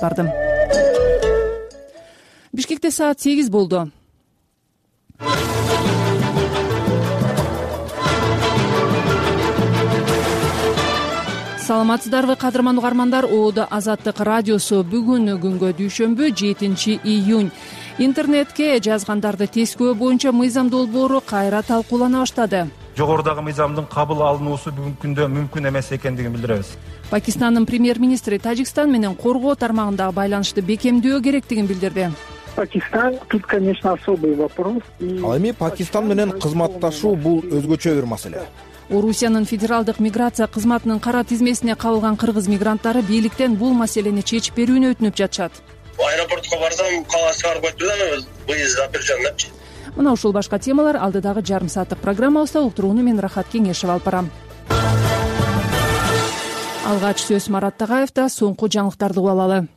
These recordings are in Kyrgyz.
бардым. Бишкекте саат 8 болду. Саламатсыздарбы, кадырман угармандар. ООД Азаттык радиосу бүгүн күнгө дүйшөмбү 7-июнь. Интернетке жазгандарды тескөө боюнча мыйзам долбоору кайра талкуулана баштады. Жогорудагы мыйзамдын кабыл алынуусу бүгүнкү күндө мүмкүн эмес экендигин билдиребиз. Пакистандын премьер-министри Тажикстан менен коргоо тармагындагы байланышты бекемдөө керектигин билдирди. Пакистан тут, конечно, особый вопрос. Ал эми Пакистан менен кызматташуу бул өзгөчө бир маселе. Орусиянын федералдык миграция кызматынын кара тизмесине кабылган кыргыз мигранттары бийликтен бул маселени чечип берүүнү өтүнүп жатышат. Аэропортко барсам, кала чыгарып коюпту да, выезд запрещен депчи. Мына ушул башка темалар алдыдагы жарым сааттык программабызда. Уктурууну мен Рахат Кеңешева алып барам. Алгач сөз Марат Тагаевда. Соңку жаңылыктарды угуп алалы.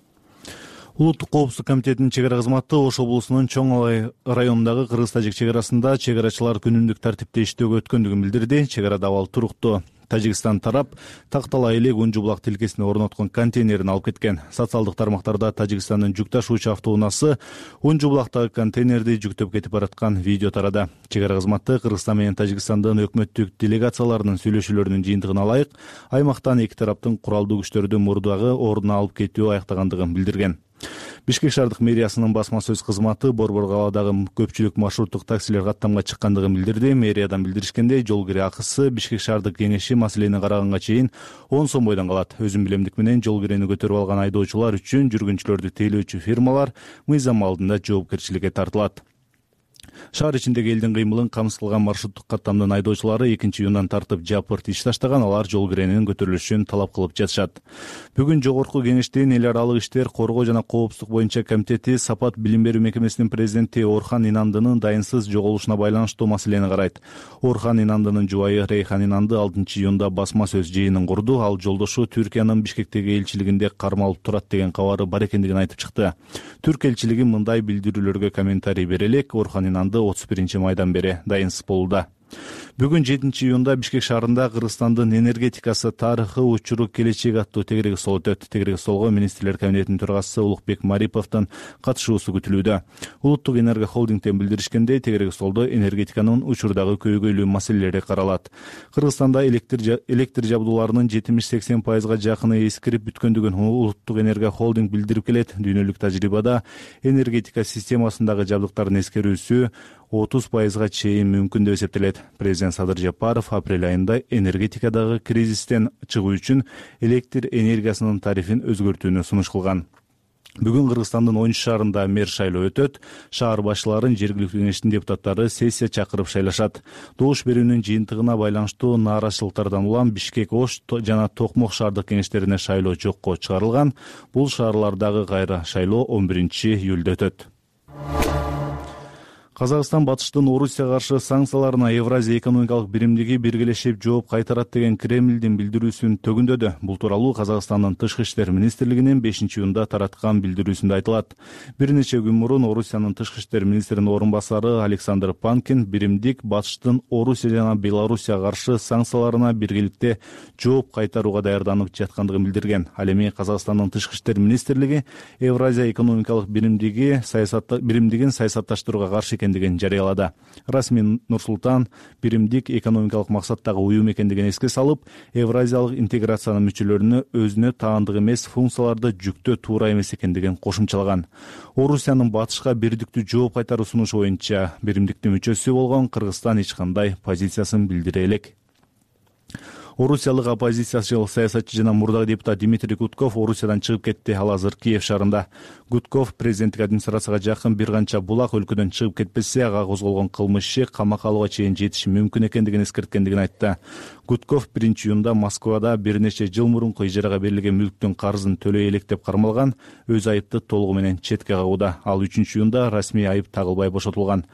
Улуттук коопсуздук комитетинин чек ара кызматы Ош облусунун Чоң Алай районундагы кыргыз-тажик чек арасында чек арачылар күнүмдүк тартипте иштөөгө өткөндүгүн билдирди. Чек арада абал туруктуу. Тажикстан тарап Тактала элек Унжу булак тилкесине орноткон контейнерин алып кеткен. Социалдык тармактарда Тажикстандын жүк ташуучу автоунаасы Унжу булактагы контейнерди жүктөп кетип бараткан видео тарады. Чек ара кызматы Кыргызстан менен Тажикстандын өкмөттүк делегацияларынын сүйлөшүүлөрүнүн жыйынтыгына ылайык аймактан эки тараптын куралдуу күчтөрдү мурдагы ордуна алып кетүү аяктагандыгын билдирген. Бишкек шаардык мэриясынын басма сөз кызматы Борбор калаадагы көпчүлүк маршруттук таксилер каттамга чыккандыгын билдирди. Мэриядан билдиришкендей, жол кире акысы Бишкек шаардык кеңеши маселени караганга чейин 10 сом бойдон калат. Өзүн билемдик менен жол кирени көтөрүп алган айдоочулар үчүн жүргүнчүлөрдү тейлөөчү фирмалар мыйзам алдында жоопкерчиликке тартылат. Шаар ичиндеги элдин кыймылын камсыз кылган маршруттук каттамдын айдоочулары 2-июндан тартып жапырт иш таштаган. Алар жол киренинин көтөрүлүшүн талап кылып жатышат. Бүгүн жогорку кеңештин эл аралык иштер, коргоо жана коопсуздук боюнча комитети Сапат билим берүү мекемесинин президенти Орхан Инандынын дайынсыз жоголушуна байланыштуу маселени карайт. Орхан Инандынын жубайы Рейхан Инанды 6-июнда басма сөз жыйынын курду. Ал жолдошу Түркиянын Бишкектеги элчилигинде кармалып турат деген кабары бар экендигин айтып чыкты. Түрк элчилиги мындай билдирүүлөргө комментарий бере элек Орхан Инанды 31-майдан бери дайынсыз болууда. Бүгүн 7-июнда Бишкек шаарында Кыргызстандын энергетикасы тарыхы учуру келечек аттуу тегерек стол өтөт. Тегерек столго министрлер кабинетинин төрагасы Улукбек Мариповдун катышуусу күтүлүүдө. Улуттук энерго холдингден билдиришкендей, тегерек столдо энергетиканын учурдагы көйгөйлүү маселелери каралат. Кыргызстанда электр жабдууларынын 70-80% жакыны эскирип бүткөндүгүн Улуттук энерго холдинг билдирип келет. Дүйнөлүк тажрыйбада энергетика системасындагы жабдыктардын эскерүүсү 30% чейин мүмкүн деп эсептелет. Президент Садыр Жапаров апрель айында энергетикадагы кризистен чыгуу үчүн электр энергиясынын тарифин өзгөртүүнү сунуш кылган. Бүгүн Кыргызстандын 10 шаарында мэр шайлоо өтөт. Шаар башчыларын жергиликтүү кеңештин депутаттары сессия чакырып шайлашат. Добуш берүүнүн жыйынтыгына байланыштуу нааразычылыктардан улам Бишкек, Ош жана Токмок шаардык кеңештерине шайлоо жокко чыгарылган. Бул шаарлардагы кайра шайлоо 11-июлда өтөт. Казакстан батыштын Орусияга каршы санкцияларына Евразия экономикалык биримдиги биргелешип жооп кайтарат деген Кремлдин билдирүүсүн төгүндөдү. Бул тууралуу Казакстандын тышкы иштер министрлигинин 5-июнда тараткан билдирүүсүндө айтылат. Бир нече күн мурун Орусиянын тышкы иштер министринин орун басары Александр Панкин биримдик батыштын Орусия жана Белоруссияга каршы санкцияларына биргеликте жооп кайтарууга даярданып жаткандыгын билдирген. Ал эми Казакстандын тышкы иштер министрлиги Евразия экономикалык биримдигин саясатташтырууга каршы экендигин жарыялады. Расмий Нур-Султан биримдик экономикалык максаттагы уюм экендигин эске салып, Евразиялык интеграциянын мүчөлөрүнө өзүнө таандык эмес функцияларды жүктөө туура эмес экендигин кошумчалаган. Орусиянын батышка бирдиктүү жооп кайтаруу сунушу боюнча биримдиктин мүчөсү болгон Кыргызстан эч кандай позициясын билдире элек. Орусиялык оппозициячыл саясатчы жана мурдагы депутат Дмитрий Гудков Орусиядан чыгып кетти. Ал азыр Киев шаарында. Гудков президенттик администрацияга жакын бир канча булак өлкөдөн чыгып кетпесе, ага козголгон кылмыш иши камакка алууга чейин жетиши мүмкүн экендигин эскерткендигин айтты. Гудков 1-июнда Москвада бир нече жыл мурунку ижарага берилген мүлктүн карызын төлөй элек деп кармалган, өз айыпты толугу менен четке кагууда. Ал 3-июнда расмий айып тагылбай бошотулган.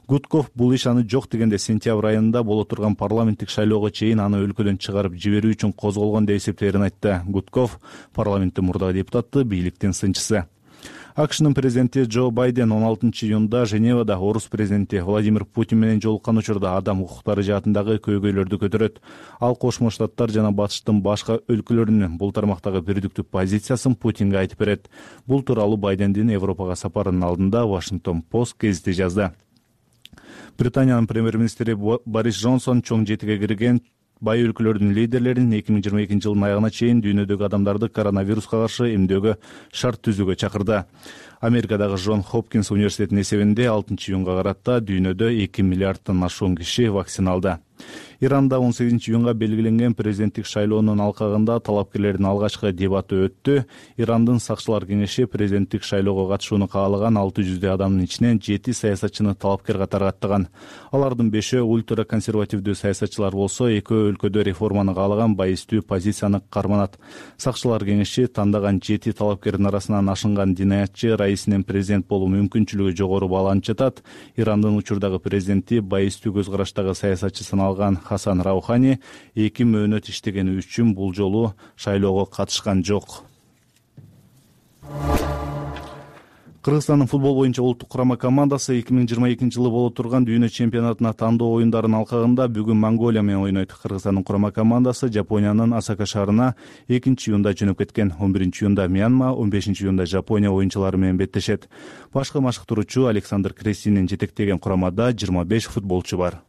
Гудков бул иш аны жок дегенде сентябрь айында боло турган парламенттик шайлоого чейин аны өлкөдөн чыгарып жиберүү үчүн козголгон деп эсептеерин айтты. Гудков парламенттин мурдагы депутаты, бийликтин сынчысы. АКШнын президенти Джо Байден 16-июнда Женевада орус президенти Владимир Путин менен жолуккан учурда адам укуктары жаатындагы көйгөйлөрдү көтөрөт. Ал Кошмо Штаттар жана Батыштын башка өлкөлөрүнүн бул тармактагы бирдиктүү позициясын Путинге айтып берет. Бул тууралуу Байдендин Европага сапарынын алдында Washington Post гезити жазды. Британиянын премьер-министри Борис Джонсон чоң жетиге кирген бай өлкөлөрдүн лидерлерин 2022 жылдын аягына чейин дүйнөдөгү адамдарды коронавируска каршы эмдөөгө шарт түзүүгө чакырды. Америкадагы Джон Хопкинс университетинин эсебинде 6-июнга карата дүйнөдө 2 миллиардтан ашуун киши вакциналды. Иранда 18-июнга белгиленген президенттик шайлоонун алкагында талапкерлердин алгачкы дебаты өттү. Ирандын сакчылар кеңеши президенттик шайлоого катышууну каалаган 600 адамдын ичинен 7 саясатчыны талапкер катары аттаган. Алардын 5-өө ультра консервативдүү саясатчылар болсо, 2 өлкөдө реформаны каалаган байыстуу позицияны карманат. Сакчылар кеңеши тандаган 7 талапкердин арасынан ашынган динаятчы раисинин президент болуу мүмкүнчүлүгү жогору бааланып жатат. Ирандын учурдагы президенти байыстуу көз караштагы саясатчы саналган Хасан Раухани 2 мөөнөт иштегени үчүн бул жолу шайлоого катышкан жок. Кыргызстандын футбол боюнча улуттук курама командасы 2022 жылы боло турган дүйнө чемпионатына тандоо оюндарынын алкагында бүгүн Монголия менен ойнойт. Кыргызстандын курама командасы Жапониянын Осака шаарына 2-июнда жөнөп кеткен. 11-июнда Мьянма, 15-июнда Жапония оюнчулары менен беттешет. Башкы машыктыруучу Александр Крестинин жетектеген курамада 25 футболчу бар.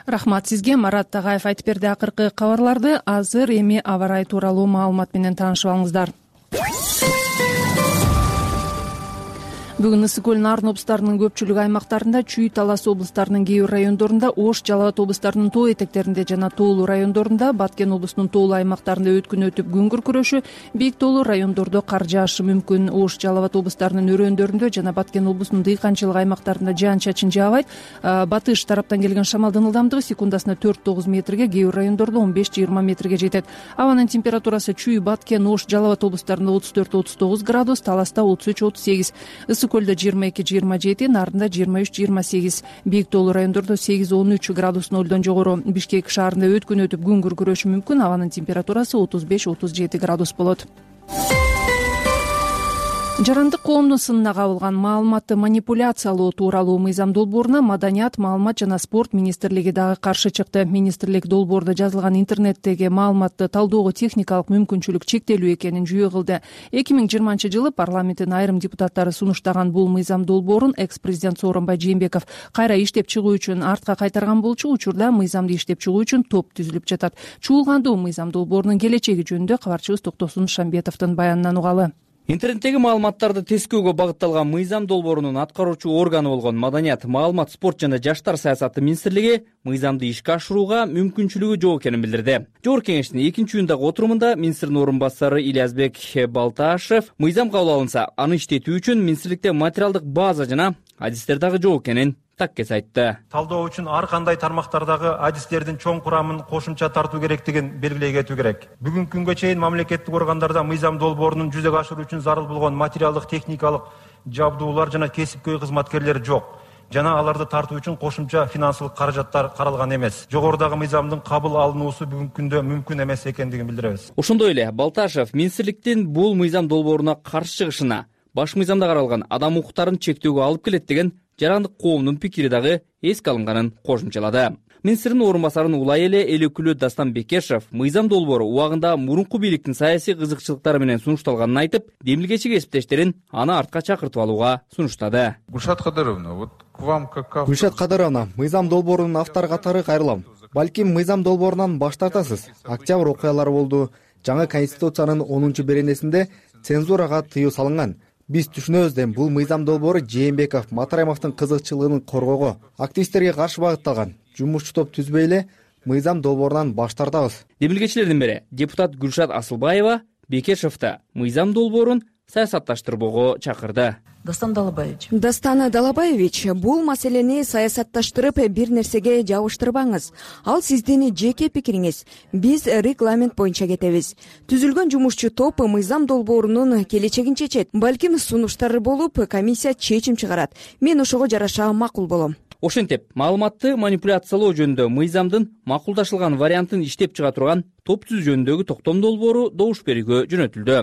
Рахмат сизге. Марат Тагаев айтып берди акыркы кабарларды. Азыр эми аба ырайы тууралуу маалымат менен таанышып алыңыздар. Бүгүн Ысык көл Нарын облустарынын көпчүлүк аймактарында, Чүй, Талас облустарынын кээ бир райондорунда, Ош, Жалал Абад облустарынын тоо этектеринде жана тоолуу райондорунда, Баткен облусунун тоолуу аймактарында өткүн өтүп күн күркүрөшү, бийик тоолуу райондордо кар жаашы мүмкүн. Ош, Жалал Абад облустарынын өрөөндөрүндө жана Баткен облусунун дыйканчылык аймактарында жаан-чачын жаабайт. Батыш тараптан келген шамалдын ылдамдыгы секундасына 4-9 метрге, кээ бир райондордо 15-20 метрге жетет. Абанын температурасы Чүй, Баткен, Ош, Жалал Абад облустарында 34-39 градус, Таласта 33-38. Көлдө 22-27, Нарында 23-28, бийик тоолуу райондордо 8-13 градус нолдон жогору. Бишкек шаарында өткүн өтүп күн күркүрөшү мүмкүн. Абанын температурасы 35-37 градус болот. Жарандык коомдун сынына кабылган маалыматты манипуляциялоо тууралуу мыйзам долбооруна Маданият, маалымат жана спорт министрлиги дагы каршы чыкты. Министрлик долбоордо жазылган интернеттеги маалыматты талдоого техникалык мүмкүнчүлүк чектелүү экенин жүйө кылды. 2020 жылы парламенттин айрым депутаттары сунуштаган бул мыйзам долбоорун экс-президент Сооронбай Жээнбеков кайра иштеп чыгуу үчүн артка кайтарган болчу. Учурда мыйзамды иштеп чыгуу үчүн топ түзүлүп жатат. Чуулгандуу мыйзам долбоорунун келечеги жөнүндө кабарчыбыз Токтосун Шамбетовдун баянынан угалы. Интернеттеги маалыматтарды тескөөгө багытталган мыйзам долбоорунун аткаруучу органы болгон Маданият, маалымат, спорт жана жаштар саясаты министрлиги мыйзамды ишке ашырууга мүмкүнчүлүгү жок экенин билдирди. Жогорку кеңештин 2-июндагы отурумунда министрдин орун басары Ильязбек Балташев мыйзам кабыл алынса, аны иштетүү үчүн министрликте материалдык база жана адистер дагы жок экенин таккес айтты. Талдоо үчүн ар кандай тармактардагы адистердин чоң курамын кошумча тартуу керектигин белгилей кетүү керек. Бүгүнкү күнгө чейин мамлекеттик органдарда мыйзам долбоорунун жүзөгө ашыруу үчүн зарыл болгон материалдык, техникалык жабдуулар жана кесипкөй кызматкерлер жок. Жана аларды тартуу үчүн кошумча финансылык каражаттар каралган эмес. Жогорудагы мыйзамдын кабыл алынуусу бүгүнкү күндө мүмкүн эмес экендигин билдиребиз. Ошондой эле Балташев министрликтин бул мыйзам долбооруна каршы чыгышына баш мыйзамда каралган адам укуктарын чектөөгө алып келет деген жарандык коомдун пикири дагы эске алынганын кошумчалады. Министрдин орун басарынын улай эле эл өкүлү Дастан Бекешев мыйзам долбоору убагында мурунку бийликтин саясий кызыкчылыктары менен сунушталганын айтып, демилгечи кесиптештерин аны артка чакыртып алууга сунуштады. Гульшат Кадаровна, вот к вам как автор... Гульшат Кадаровна, мыйзам долбоорунун автору катары кайрылам. Балким мыйзам долбоорунан баш тартасыз. Октябрь окуялары болду. Жаңы конституциянын 10-беренесинде цензурага тыюу салынган. Биз түшүнөбүз дем бул мыйзам долбоору Жээнбеков, Матараимовдун кызыкчылыгын коргоого, активисттерге каршы багытталган. Жумушчу топ түзбөй эле мыйзам долбоорунан баш тартабыз. Демилгечилердин бири депутат Гүлшат Асылбаева Бекешевди мыйзам долбоорун саясатташтырбоого чакырды. Дастан Далабаевич, бул маселени саясатташтырып бир нерсеге жабыштырбаңыз. Ал сиздин жеке пикириңиз. Биз регламент боюнча кетебиз. Түзүлгөн жумушчу топ мыйзам долбоорунун келечегин чечет. Балким сунуштар болуп, комиссия чечим чыгарат. Мен ошого жараша макул болом. Ошентип, маалыматты манипуляциялоо жөнүндө мыйзамдын макулдашылган вариантын иштеп чыга турган топ түзүү жөнүндөгү токтом долбоору добуш берүүгө жөнөтүлдү.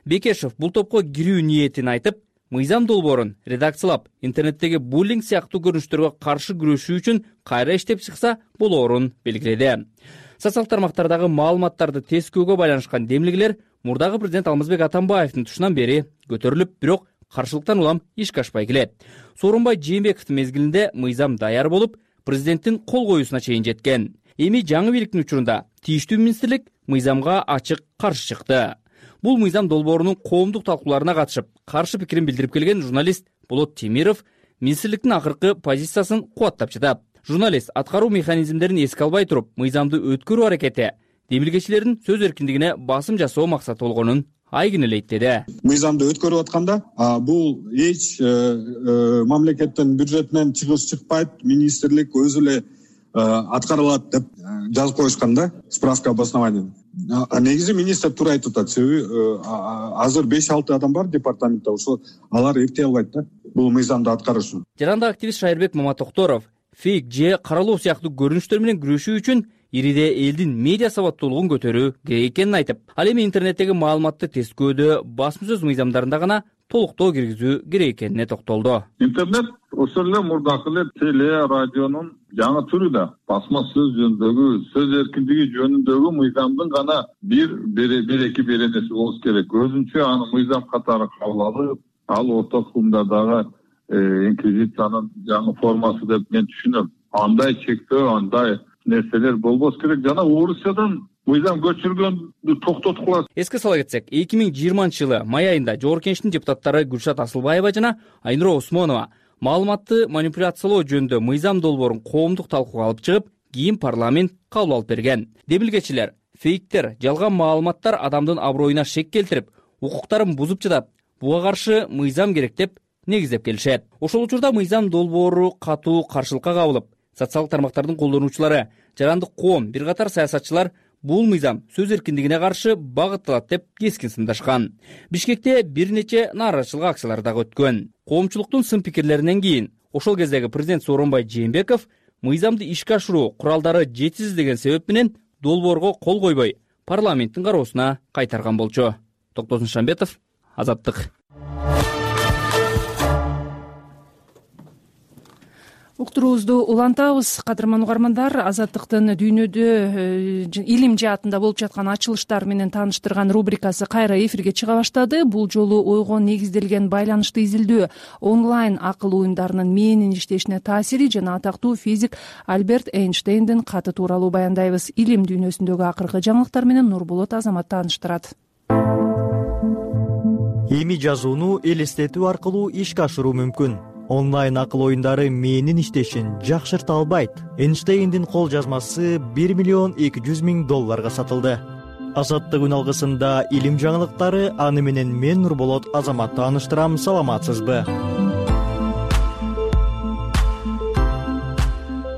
Бекешев бул топко кирүү ниетин айтып, мыйзам долбоорун редакциялап, интернеттеги буллинг сыяктуу көрүнүштөргө каршы күрөшүү үчүн кайра иштеп чыкса болоорун белгиледи. Социалдык тармактардагы маалыматтарды тескөөгө байланышкан демилгелер мурдагы президент Алмазбек Атамбаевдин тушунан бери көтөрүлүп, бирок каршылыктан улам ишке ашпай келет. Сооронбай Жээнбековдун мезгилинде мыйзам даяр болуп, президенттин кол коюусуна чейин жеткен. Эми жаңы бийликтин учурунда тийиштүү министрлик мыйзамга ачык каршы чыкты. Бул мыйзам долбоорунун коомдук талкууларына катышып, каршы пикирин билдирип келген журналист Болот Темиров министрликтин акыркы позициясын кубаттап жатат. Журналист аткаруу механизмдерин эске албай туруп, мыйзамды өткөрүү аракети демилгечилердин сөз эркиндигине басым жасоо максаты болгонун айгинелейт деди. Мыйзамды өткөрүп атканда бул эч мамлекеттин бюджетинен чыгыш чыкпайт, министрлик өзү эле аткарылат деп жазып коюшкан да, справка обоснований. Негизи министр туура айтып атат, себеби азыр 5-6 адам бар департаментте, ошо алар эптей албайт да бул мыйзамды аткарыш үчүн. Жаранда активист Шайырбек Маматокторов фейк же каралоо сыяктуу көрүнүштөр менен күрөшүү үчүн ириде элдин медиа сабаттуулугун көтөрүү керек экенин айтып, ал эми интернеттеги маалыматты тескөөдө басма сөз мыйзамдарында гана толуктоо киргизүү керек экенине токтолду. Интернет ошол эле мурдакы эле теле, радионун жаңы түрү да. Басма сөз жөнүндөгү, сөз эркиндиги жөнүндөгү мыйзамдын гана бир-эки беренеси болуш керек. Өзүнчө аны мыйзам катары кабыл алып, ал орто кылымдардагы инквизициянын жаңы формасы деп мен түшүнөм. Андай чектөө, андай нерселер болбош керек. Жана Орусиядан мыйзам көчүргөндү токтоткула. Эске сала кетсек, 2020-жылы май айында Жогорку Кеңештин депутаттары Гүлшат Асылбаева жана Айнура Осмонова маалыматты манипуляциялоо жөнүндө мыйзам долбоорун коомдук талкууга алып чыгып, кийин парламент кабыл алып берген. Демилгечилер фейктер, жалган маалыматтар адамдын аброюна шек келтирип, укуктарын бузуп жатат. Буга каршы мыйзам керек деп негиздеп келишет. Ошол учурда мыйзам долбоору катуу каршылыкка кабылып, социалдык тармактардын колдонуучулары, жарандык коом, бир катар саясатчылар бул мыйзам сөз эркиндигине каршы багытталат деп кескин сындашкан. Бишкекте бир нече нааразычылык акциялары дагы өткөн. Коомчулуктун сын пикирлеринен кийин ошол кездеги президент Сооронбай Жээнбеков мыйзамды ишке ашыруу куралдары жетишсиз деген себеп менен долбоорго кол койбой, парламенттин кароосуна кайтарган болчу. Токтосун Шамбетов, Азаттык. Уктуруубузду улантабыз. Кадырман угармандар, Азаттыктын дүйнөдө илим жаатында болуп жаткан ачылыштар менен тааныштырган рубрикасы кайра эфирге чыга баштады. Бул жолу ойго негизделген байланышты изилдөө, онлайн акыл оюндарынын мээнин иштешине таасири жана атактуу физик Альберт Эйнштейндин каты тууралуу баяндайбыз. Илим дүйнөсүндөгү акыркы жаңылыктар менен Нурболот Азамат тааныштырат. Эми жазууну элестетүү аркылуу ишке ашыруу мүмкүн. Онлайн акыл оюндары мээнин иштешин жакшырта албайт. Эйнштейндин кол жазмасы $1,200,000 сатылды. Азаттык күн алгысында илим жаңылыктары, аны менен мен Нурболот Азамат тааныштырам. Саламатсызбы?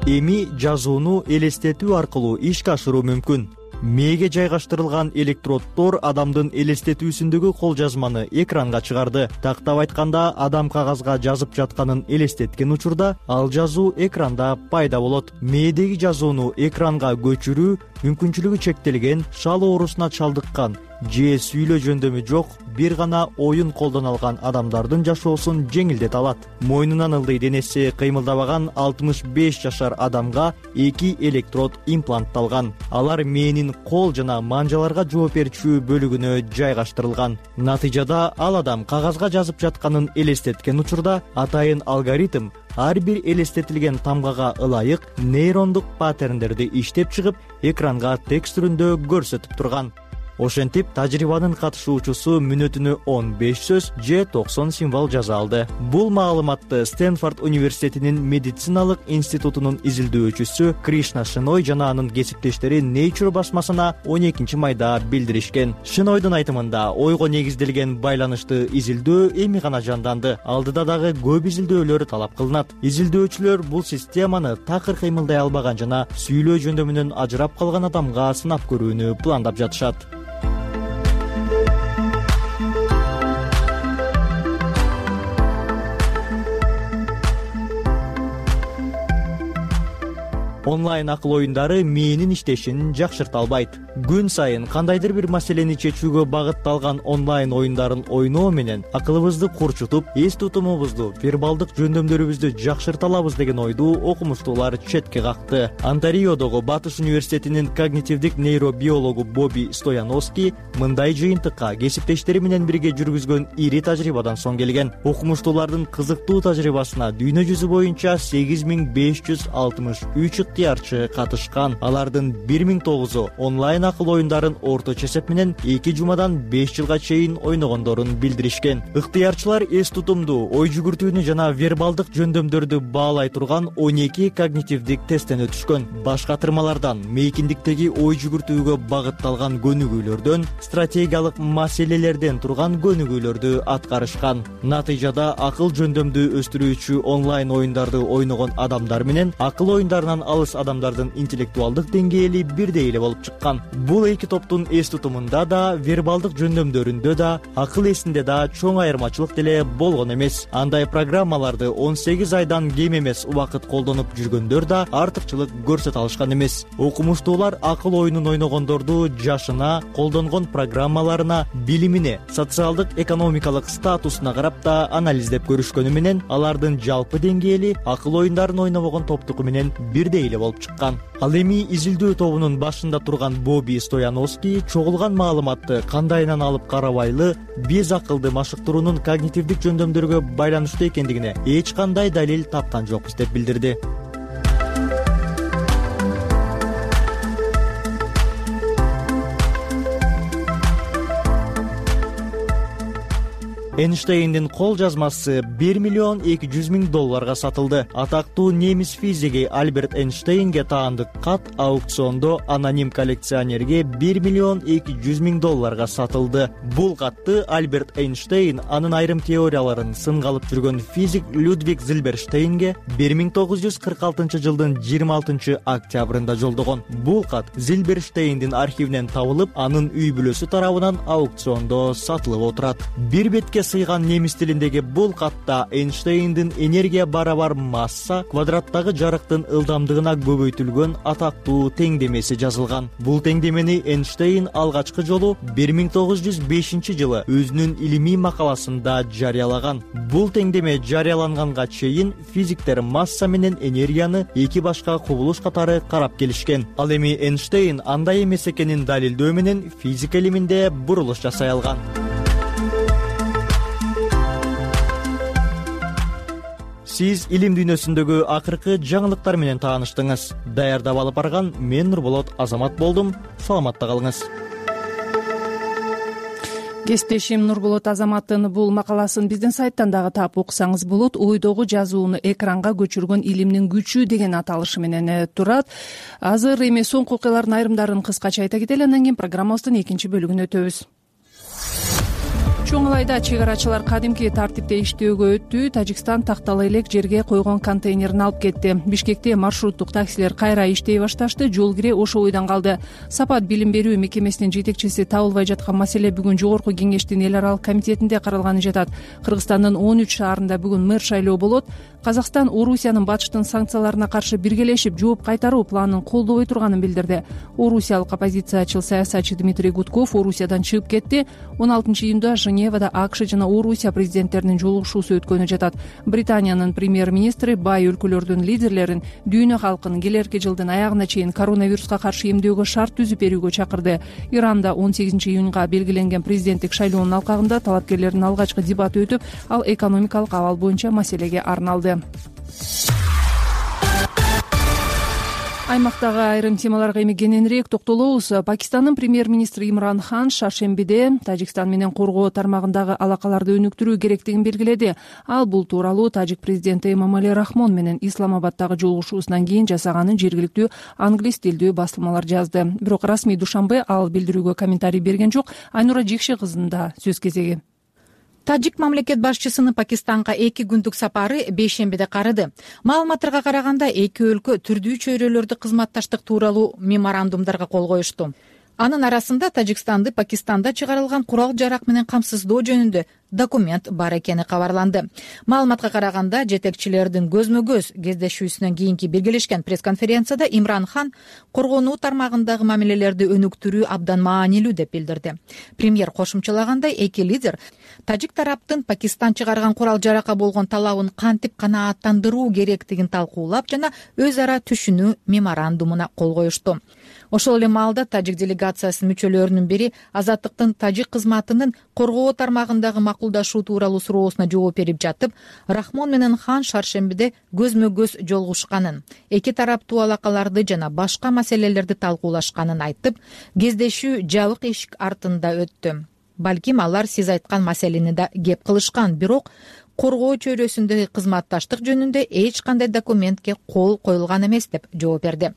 Эми жазууну элестетүү аркылуу ишке ашыруу мүмкүн. Мээге жайгаштырылган электроддор адамдын элестетүүсүндөгү кол жазманы экранга чыгарды. Тактап айтканда, адам кагазга жазып жатканын элестеткен учурда ал жазуу экранда пайда болот. Мээдеги жазууну экранга көчүрүү мүмкүнчүлүгү чектелген, шал оорусуна чалдыккан же сүйлөө жөндөмү жок бир гана оюн колдоно алган адамдардын жашоосун жеңилдете алат. Мойнунан ылдый денеси кыймылдабаган 65 жашар адамга 2 электрод имплантталган. Алар мээнин кол жана манжаларга жооп берчү бөлүгүнө жайгаштырылган. Натыйжада ал адам кагазга жазып жатканын элестеткен учурда атайын алгоритм ар бир элестетилген тамгага ылайык нейрондук паттерндерди иштеп чыгып, экранга текст түрүндө көрсөтүп турган. Ошентип, тажрыйбанын катышуучусу мүнөтүнө 15 сөз же 90 символ жаза алды. Бул маалыматты Стэнфорд университетинин медициналык институтунун изилдөөчүсү Кришна Шиной жана анын кесиптештери Nature басмасына 12 майда билдиришкен. Шинойдун айтымында, ойго негизделген байланышты изилдөө эми гана жанданды. Алдыда дагы көп изилдөөлөр талап кылынат. Изилдөөчүлөр бул системаны такыр кыймылдай албаган жана сүйлөө жөндөмүнөн ажырап калган адамга сынап көрүүнү пландап жатышат. Онлайн акыл оюндары мээнин иштешин жакшырта албайт. Күн сайын кандайдыр бир маселени чечүүгө багытталган онлайн оюндарын ойноо менен акылыбызды курчутуп, эс тутумубузду, вербалдык жөндөмдөрүбүздү жакшырта алабыз деген ойду окумуштуулар четке какты. Онтариодогу Батыш университетинин когнитивдик нейробиологу Боби Стояновский мындай жыйынтыкка кесиптештери менен бирге жүргүзгөн ири тажрыйбадан соң келген. Окумуштуулардын кызыктуу тажрыйбасына дүйнө жүзү боюнча 8563 ыктыярчы катышкан. Алардын 1009-у онлайн акыл оюндарын орточо эсеп менен 2 жумадан 5 жылга чейин ойногондорун билдиришкен. Ыктыярчылар эс тутумду, ой жүгүртүүнү жана вербалдык жөндөмдөрдү баалай турган 12 когнитивдик тесттен өтүшкөн. Баш катырмалардан мейкиндиктеги ой жүгүртүүгө багытталган көнүгүүлөрдөн, стратегиялык маселелерден турган көнүгүүлөрдү аткарышкан. Натыйжада акыл жөндөмдү өстүрүүчү онлайн оюндарды ойногон адамдар менен акыл оюндарынан алыс адамдардын интеллектуалдык деңгээли бирдей эле болуп чыккан. Бул эки топтун эс тутумунда да, вербалдык жөндөмдөрүндө да, акыл эсинде да чоң айырмачылык деле болгон эмес. Андай программаларды 18 айдан кем эмес убакыт колдонуп жүргөндөр да артыкчылык көрсөтө алышкан эмес. Окумуштуулар акыл оюнун ойногондорду жашына, колдонгон программаларына, билимине, социалдык экономикалык статусуна карап да анализдеп көрүшкөнү менен алардын жалпы деңгээли акыл оюндарын ойнобогон топтуку менен бирдей эле болуп чыккан. Ал эми изилдөө тобунун башында турган Боби Стояновский чогулган маалыматты кандайынан алып карабайлы, биз акылды машыктыруунун когнитивдик жөндөмдөргө байланыштуу экендигине эч кандай далил тапкан жокпуз деп билдирди. Эйнштейндин кол жазмасы $1,200,000 сатылды. Атактуу немис физиги Альберт Эйнштейнге таандык кат аукциондо аноним коллекционерге $1,200,000 сатылды. Бул катты Альберт Эйнштейн анын айрым теорияларын сынга алып жүргөн физик Людвиг Зильберштейнге 1946 жылдын 26 октябрында жолдогон. Бул кат Зильберштейндин архивинен табылып, анын үй бүлөсү тарабынан аукциондо сатылып отурат. Бир бетке сыйган немис тилиндеги бул катта Эйнштейндин энергия барабар масса квадраттагы жарыктын ылдамдыгына көбөйтүлгөн атактуу теңдемеси жазылган. Бул теңдемени Эйнштейн алгачкы жолу 1905 жылы өзүнүн илимий макаласында жарыялаган. Бул теңдеме жарыяланганга чейин физиктер масса менен энергияны эки башка кубулуш катары карап келишкен. Ал эми Эйнштейн андай эмес экенин далилдөө менен физика илиминде бурулуш жасай алган. Сиз илим дүйнөсүндөгү акыркы жаңылыктар менен тааныштыңыз. Даярдап алып барган мен Нурболот Азамат болдум. Саламатта калыңыз. Кесиптешим Нурболот Азаматтын бул макаласын биздин сайттан дагы таап окусаңыз болот. Ойдогу жазууну экранга көчүргөн илимдин күчү деген аталышы менен турат. Азыр эми соңку окуялардын айрымдарын кыскача айта кетели, андан кийин программабыздын экинчи бөлүгүнө өтөбүз. Чоң Алайда чек арачылар кадимки тартипте иштөөгө өттү. Тажикстан тактала элек жерге койгон контейнерин алып кетти. Бишкекте маршруттук таксилер кайра иштей башташты. Жол кире ошо бойдон калды. Сапат билим берүү мекемесинин жетекчиси табылбай жаткан маселе бүгүн жогорку кеңештин эл аралык комитетинде каралганы жатат. Кыргызстандын 13 шаарында бүгүн мэр шайлоо болот. Казакстан Орусиянын батыштын санкцияларына каршы биргелешип жооп кайтаруу планын колдобой турганын билдирди. Орусиялык оппозициячыл саясатчы Дмитрий Гудков Орусиядан чыгып кетти. 16 июнда Женевада АКШ жана Орусия президенттеринин жолугушуусу өткөнү жатат. Британиянын премьер-министри бай өлкөлөрдүн лидерлерин дүйнө калкын келерки жылдын аягына чейин коронавируска каршы эмдөөгө шарт түзүп берүүгө чакырды. Иранда 18 июнга белгиленген президенттик шайлоонун алкагында талапкерлердин алгачкы дебаты өтүп, ал экономикалык абал боюнча маселеге арналды. Аймактагы айрым темаларга эми кененирээк токтолобуз. Пакистандын премьер-министри Имран Хан шаршембиде Тажикстан менен коргоо тармагындагы алакаларды өнүктүрүү керектигин белгиледи. Ал бул тууралуу тажик президенти Эмомали Рахмон менен Исламабаддагы жолугушуусунан кийин жасаганын жергиликтүү англис тилдүү басылмалар жазды. Бирок расмий Душанбе ал билдирүүгө комментарий берген жок. Айнура Жекше кызында сөз кезеги. Тажик мамлекет башчысынын Пакистанга 2 күндүк сапары бейшембиде карады. Маалыматтарга караганда эки өлкө түрдүү чөйрөлөрдө кызматташтык тууралуу меморандумдарга кол коюшту. Анын арасында Тажикстанды Пакистанда чыгарылган курал-жарак менен камсыздоо жөнүндө документ бар экени кабарланды. Маалыматка караганда, жетекчилердин көзмө көз кездешүүсүнөн кийинки белгилешкен пресс-конференцияда Имран Хан коргонуу тармагындагы мамилелерди өнүктүрүү абдан маанилүү деп билдирди. Премьер кошумчалагандай, эки лидер тажик тараптын Пакистан чыгарган курал жаракка болгон талабын кантип канааттандыруу керектигин талкуулап жана өз ара түшүнүү меморандумуна кол коюшту. Ошол эле маалда тажик делегациясынын мүчөлөрүнүн бири Азаттыктын тажик кызматынын коргоо тармагындагы макулдашуу тууралуу суроосуна жооп берип жатып, Рахмон менен Хан шаршембиде көзмө көз жолугушканын, эки тараптуу алакаларды жана башка маселелерди талкуулашканын айтып, кездешүү жабык эшик артында өттү. Балким алар сиз айткан маселени да кеп кылышкан, бирок коргоо чөйрөсүндөгү кызматташтык жөнүндө эч кандай документке кол коюлган эмес деп жооп берди.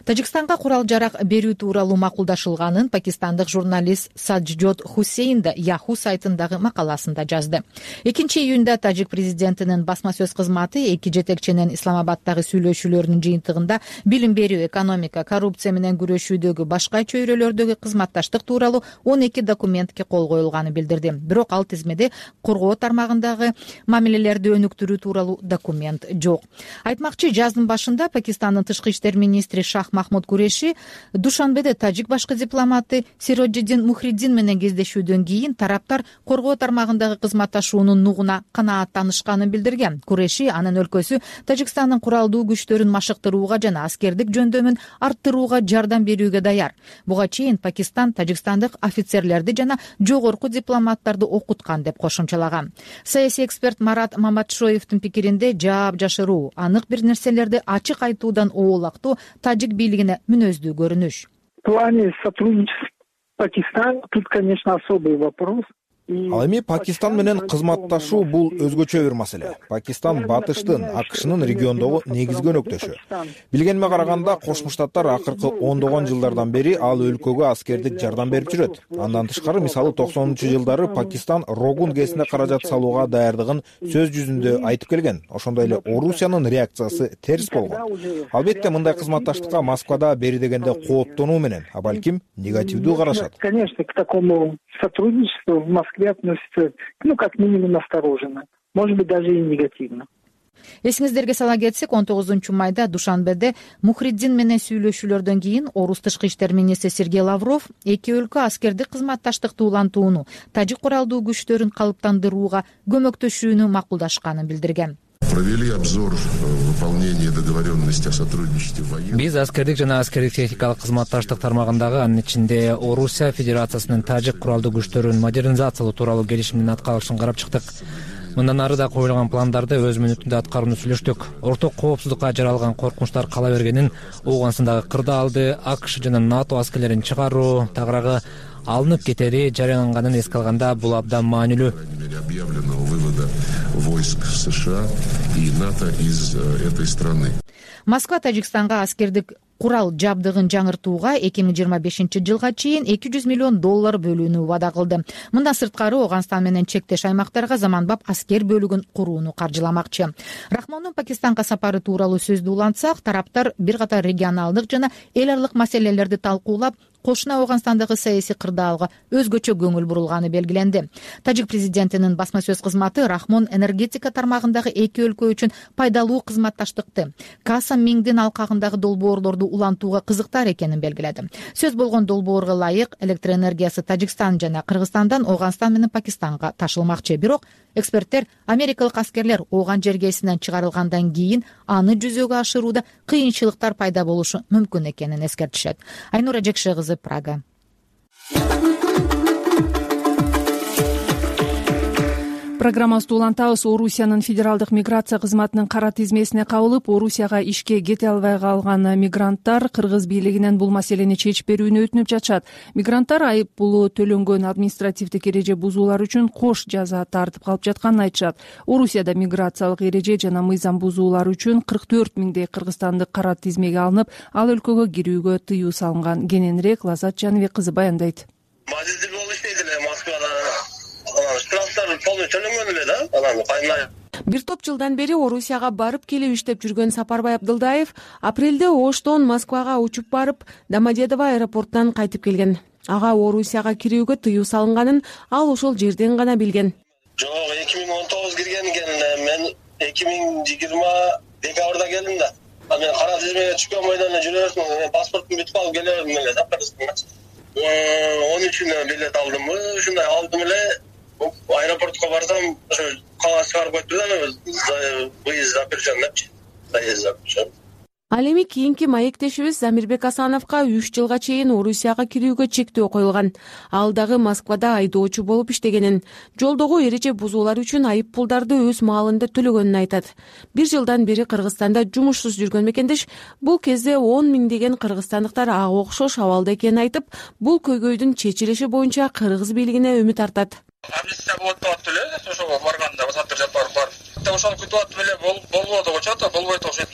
Тажикстанга курал жарак берүү тууралуу макулдашылганын пакистандык журналист Саджод Хусейн да Yahoo сайтындагы макаласында жазды. 2-июнда тажик президентинин басма сөз кызматы эки жетекчинин Исламабаддагы сүйлөшүүлөрүнүн жыйынтыгында билим берүү, экономика, коррупция менен күрөшүүдөгү башка чөйрөлөрдөгү кызматташтык тууралуу 12 документке кол коюлганын билдирди. Бирок ал тизмеде коргоо тармагындагы мамилелерди өнүктүрүү тууралуу документ жок. Айтмакчы, жаздын башында Пакистандын тышкы иштер министри Шах Махмуд Куреши Душанбеде тажик башкы дипломаты Сироджиддин Мухриддин менен кездешүүдөн кийин тараптар коргоо тармагындагы кызматташуунун нугуна канааттанышканын билдирген. Куреши анын өлкөсү Тажикстандын куралдуу күчтөрүн машыктырууга жана аскердик жөндөмүн арттырууга жардам берүүгө даяр. Буга чейин Пакистан тажикстандык офицерлерди жана жогорку дипломаттарды окуткан деп кошумчалаган. Саясий эксперт Марат Маматшоевдин пикиринде, жаап жашыруу, анык бир нерселерди ачык айтуудан оолактоо тажик бийлигине мүнөздүү көрүнүш. В плане сотрудничества Пакистан тут, конечно, особый вопрос. Ал эми Пакистан менен кызматташуу бул өзгөчө бир маселе. Пакистан батыштын, АКШнын региондогу негизги өнөктөшү. Билгениме караганда, Кошмо Штаттар акыркы ондогон жылдардан бери ал өлкөгө аскердик жардам берип жүрөт. Андан тышкары, мисалы 90-жылдары Пакистан Рогун ГЭСине каражат салууга даярдыгын сөз жүзүндө айтып келген. Ошондой эле Орусиянын реакциясы терс болгон. Албетте, мындай кызматташтыкка Москвада бери дегенде кооптонуу менен, а балким негативдүү карашат. Конечно, к такому сотрудничеству в Москве относится, как минимум, настороженно. Может быть, даже и негативно. Эсиңиздерге сала кетсек, 19-майда Душанбеде Мухриддин менен сүйлөшүүлөрдөн кийин орус тышкы иштер министри Сергей Лавров эки өлкө аскердик кызматташтыкты улантууну, тажик куралдуу күчтөрүн калыптандырууга көмөктөшүүнү макулдашканын билдирген. Провели обзор выполнения договоренности о сотрудничестве военных. Биз аскердик жана аскердик техникалык кызматташтык тармагындагы, анын ичинде Орусия Федерациясынын тажик куралдуу күчтөрүн модернизациялоо тууралуу келишимдин аткарылышын карап чыктык. Мындан ары да коюлган пландарды өз мүнөтүндө аткарууну сүйлөштүк. Орток коопсуздукка жаралган коркунучтар кала бергенин, Ооганстандагы кырдаалды АКШ жана НАТО аскерлерин чыгаруу тагыраагы алынып кетери жарыяланганын эске алганда, бул абдан маанилүү. Объявленного вывода войск США и НАТО из этой страны. Москва Тажикстанга аскердик курал жабдыгын жаңыртууга 2025-жылга чейин $200 миллион бөлүүнү убада кылды. Мындан сырткары, Ооганстан менен чектеш аймактарга заманбап аскер бөлүгүн курууну каржыламакчы. Рахмондун Пакистанга сапары тууралуу сөздү улантсак, тараптар бир катар регионалдык жана эл аралык маселелерди талкуулап, кошуна Ооганстандагы саясий кырдаалга өзгөчө көңүл бурулганы белгиленди. Тажик президентинин басма сөз кызматы Рахмон энергетика тармагындагы эки өлкө үчүн пайдалуу кызматташтыкты, Касам Миңдин алкагындагы долбоорлорду улантууга кызыктар экенин белгиледи. Сөз болгон долбоорго ылайык электроэнергиясы Тажикстан жана Кыргызстандан Ооганстан менен Пакистанга ташылмакчы. Бирок эксперттер америкалык аскерлер Ооган жергесинен чыгарылгандан кийин аны жүзөгө ашырууда кыйынчылыктар пайда болушу мүмкүн экенин эскертишет. Айнура Жекше кызы, Прага. Программабызды улантабыз. Орусиянын федералдык миграция кызматынын кара тизмесине кабылып, Орусияга ишке кете албай калган мигранттар кыргыз бийлигинен бул маселени чечип берүүнү өтүнүп жатышат. Мигранттар айып пулу төлөнгөн административдик эреже бузуулар үчүн кош жаза тартып калып жатканын айтышат. Орусияда миграциялык эреже жана мыйзам бузуулар үчүн 44 миңдей кыргызстандык кара тизмеге алынып, ал өлкөгө кирүүгө тыюу салынган. Кененирээк Лазат Жаныбек кызы баяндайт. Бир топ жылдан бери Орусияга барып келип иштеп жүргөн Сапарбай Абдылдаев апрелде Оштон Москвага учуп барып, Домодедово аэропортунан кайтып келген. Ага Орусияга кирүүгө тыюу салынганын ал ошол жерден гана билген. Жок, 2019 кирген экен, мен 2020 декабрда келдим да. Мен кара тизмеге түшкөн бойдон эле жүрө бердим. Мен паспортумду бүтүп алып келе бердим эле да. 13-үнө билет алдым. Ушундай алдым эле аэропортко барсам, ошо кагаз чыгарып койту да. Выезд запрещен депчи. Заезд запрещен. Ал эми кийинки маектешибиз Замирбек Асановго 3 жылга чейин Орусияга кирүүгө чектөө коюлган. Ал дагы Москвада айдоочу болуп иштегенин, жолдогу эреже бузуулар үчүн айып пулдарды өз маалында төлөгөнүн айтат. 1 жылдан бери Кыргызстанда жумушсуз жүргөн мекендеш бул кезде 10 миңдеген кыргызстандыктар ага окшош абалда экенин айтып, бул көйгөйдүн чечилиши боюнча кыргыз бийлигине үмүт артат. Амнистия болот деп аттым эле, ошого барганда Саттыр Жапаров бар. Ошону күтүп аттым эле, болбоду деп атат, болбойт окшойт.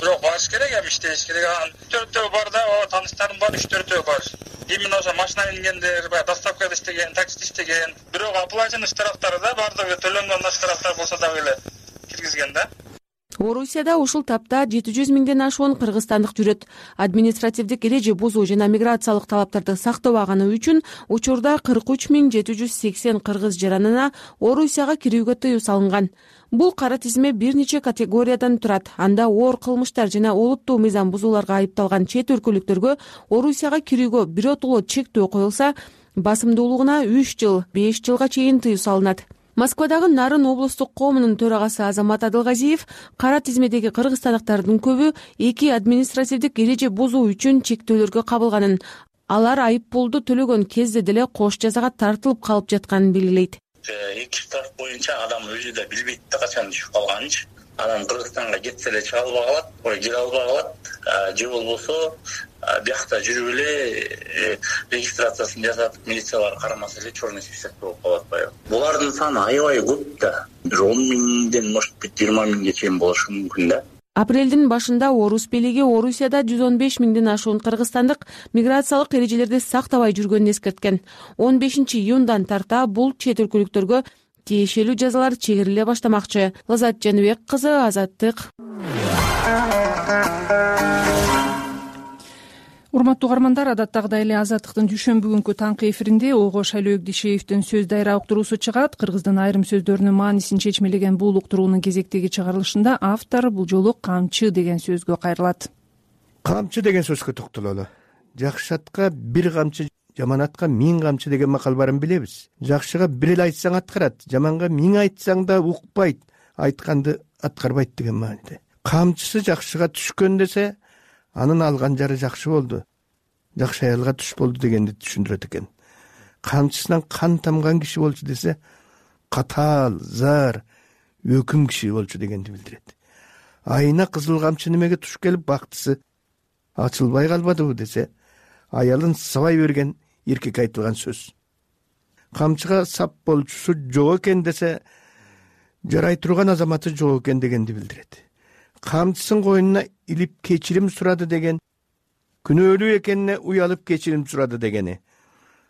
Бирок барыш керек, эми иштеш керек. 4-төө бар да, тааныштарым бар, 3-4төө бар. Именно ошо машина мингендер, доставкада иштеген, таксиде иштеген. Бирок оплаченный штрафтары да бардыгы төлөнгөн штрафтар болсо дагы эле киргизген да. Орусияда ушул тапта 700 миңден ашуун кыргызстандык жүрөт. Административдик эреже бузуу жана миграциялык талаптарды сактабаганы үчүн учурда 43.780 кыргыз жаранына Орусияга кирүүгө тыюу салынган. Бул кара тизме бир нече категориядан турат. Анда оор кылмыштар жана олуттуу мыйзам бузууларга айыпталган чет өлкөлүктөргө Орусияга кирүүгө биротоло чектөө коюлса, басымдуулугуна 3 жыл, 5 жылга чейин тыюу салынат. Москвадагы Нарын облустук коомунун төрагасы Азамат Адылгазиев кара тизмедеги кыргызстандыктардын көбү 2 административдик эреже бузуу үчүн чектөөлөргө кабылганын, алар айып пулду төлөгөн кезде деле кош жазага тартылып калып жатканын белгилейт. Эки штраф боюнча адам өзү да билбейт да качан түшүп калганынчы. Адам Кыргызстанга кетсе эле чыга албай калат, кире албай калат, же болбосо биякта жүрүп эле регистрациясын жасатып, милициялар карамаса эле черный список болуп калат баягы. Булардын саны аябай көп да. 10 миңден, может быть, 20 миңге чейин болушу мүмкүн да. Апрелдин башында Орус бийлиги Орусияда 115 миңден ашуун кыргызстандык миграциялык эрежелерди сактабай жүргөнүн эскерткен. 15-июндан тарта бул чет өлкөлүктөргө тиешелүү жазалар чегириле баштамакчы. Лазат Жаныбек кызы, Азаттык. Урматтуу угармандар, адаттагыдай эле Азаттыктын дүйшөмбү күнкү таңкы эфиринде ого Шайлоо Дишеевдин сөз дайра уктуруусу чыгат. Кыргыздын айрым сөздөрүнүн маанисин чечмелеген бул уктуруунун кезектеги чыгарылышында автор бул жолу камчы деген сөзгө кайрылат. Камчы деген сөзгө токтололу. Жакшы атка бир камчы, жаман атка 1000 камчы деген макал барын билебиз. Жакшыга бир эле айтсаң аткарат, жаманга 1000 айтсаң да укпайт, айтканды аткарбайт деген мааниде. Камчысы жакшыга түшкөн десе, анын алган жары жакшы болду, жакшы аялга түш болду дегенди түшүндүрөт экен. Камчысынан кан тамган киши болчу десе, катаал, зар, өкүм киши болчу дегенди билдирет. Айына кызыл камчы немеге туш келип бактысы ачылбай калбадыбы десе, аялын сабай берген эркек айтылган сөз. Камчыга сап болчусу жок экен десе, жарай турган азаматы жок экен дегенди билдирет. Камчысын койнуна илип кечирим сурады деген, күнөөлүү экенине уялып кечирим сурады дегени.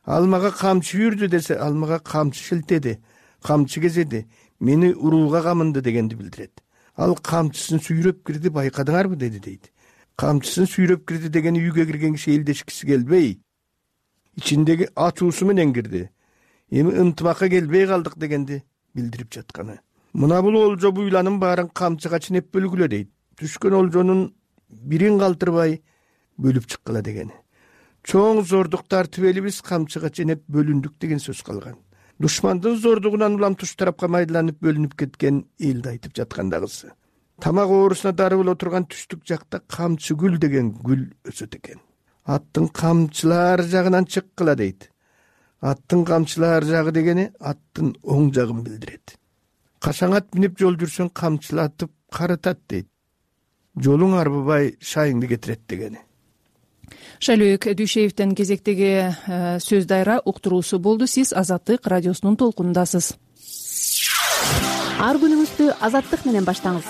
Алмага камчы үрдү десе, алмага камчы шилтеди, камчы кезеди, мени урууга камынды дегенди билдирет. Ал камчысын сүйрөп кирди, байкадыңарбы деди дейт. Камчысын сүйрөп кирди дегени үйгө кирген киши элдешкиси келбей, ичиндеги ачуусу менен кирди. Эми ынтымакка келбей калдык дегенди билдирип жатканы. Мына бул олжо буйланын баарын камчыга ченеп бөлгүлө дейт. Түшкөн олжонун бирин калтырбай бөлүп чыккыла дегени. Чоң зордук тартып элибиз камчыга ченеп бөлүндүк деген сөз калган. Душмандын зордугунан улам туш тарапка майдаланып бөлүнүп кеткен элди айтып жаткандагысы. Тамак оорусуна дарылып отурган түштүк жакта камчы гүл деген гүл өсөт экен. Аттын камчылар жагынан чыккыла дейт. Аттын камчылар жагы дегени аттын оң жагын билдирет. Кашаң ат минип жол жүрсөң камчылатып карытат дейт. Жолуң арбыбай шайыңды кетирет дегени. Шайлоо Дүйшеевдин кезектеги сөз дайра уктуруусу болду. Сиз Азаттык радиосунун толкунундасыз. ар күнүңүздү Азаттык менен баштаңыз.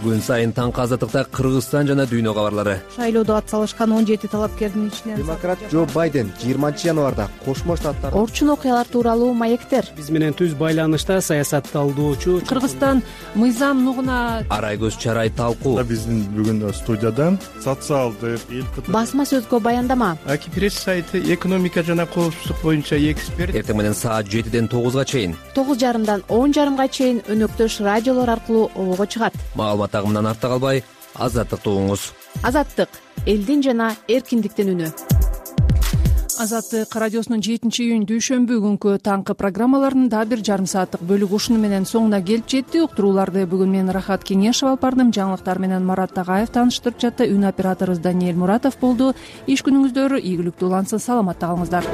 Күн сайын таңкы Азаттыкта Кыргызстан жана дүйнө кабарлары. Шайлоодо ат салышкан 17 талапкердин ичинен демократ Джо Байден 20 январда Кошмо Штаттар Орчун окуялар тууралуу маектер. Биз менен түз байланышта саясатталдоочу Кыргызстан мыйзам нугуна Арай көз чарай талкуу. Биздин бүгүн студияда социалдык Басма сөзгө баяндама. Аки пресс сайты экономика жана коопсуздук боюнча эксперт. Эртең менен саат 7ден 9га чейин 9:30дан 10:30га чейин өнөктөш радиолор аркылуу обого чыгат. Маалымат агымынан артта калбай Азаттыкты угуңуз. Азаттык — элдин жана эркиндиктин үнү. Азаттык радиосунун 7-июнь дүйшөмбү күнкү таңкы программаларынын дагы бир жарым сааттык бөлүгү ушуну менен соңуна келип жетти. Уктурууларды бүгүн мен Рахат Кеңешев алып бардым. Жаңылыктар менен Марат Тагаев тааныштырып жатты. Үн операторубуз Даниэль Муратов болду. Иш күнүңүздөр ийгиликтүү улансын. Саламатта калыңыздар.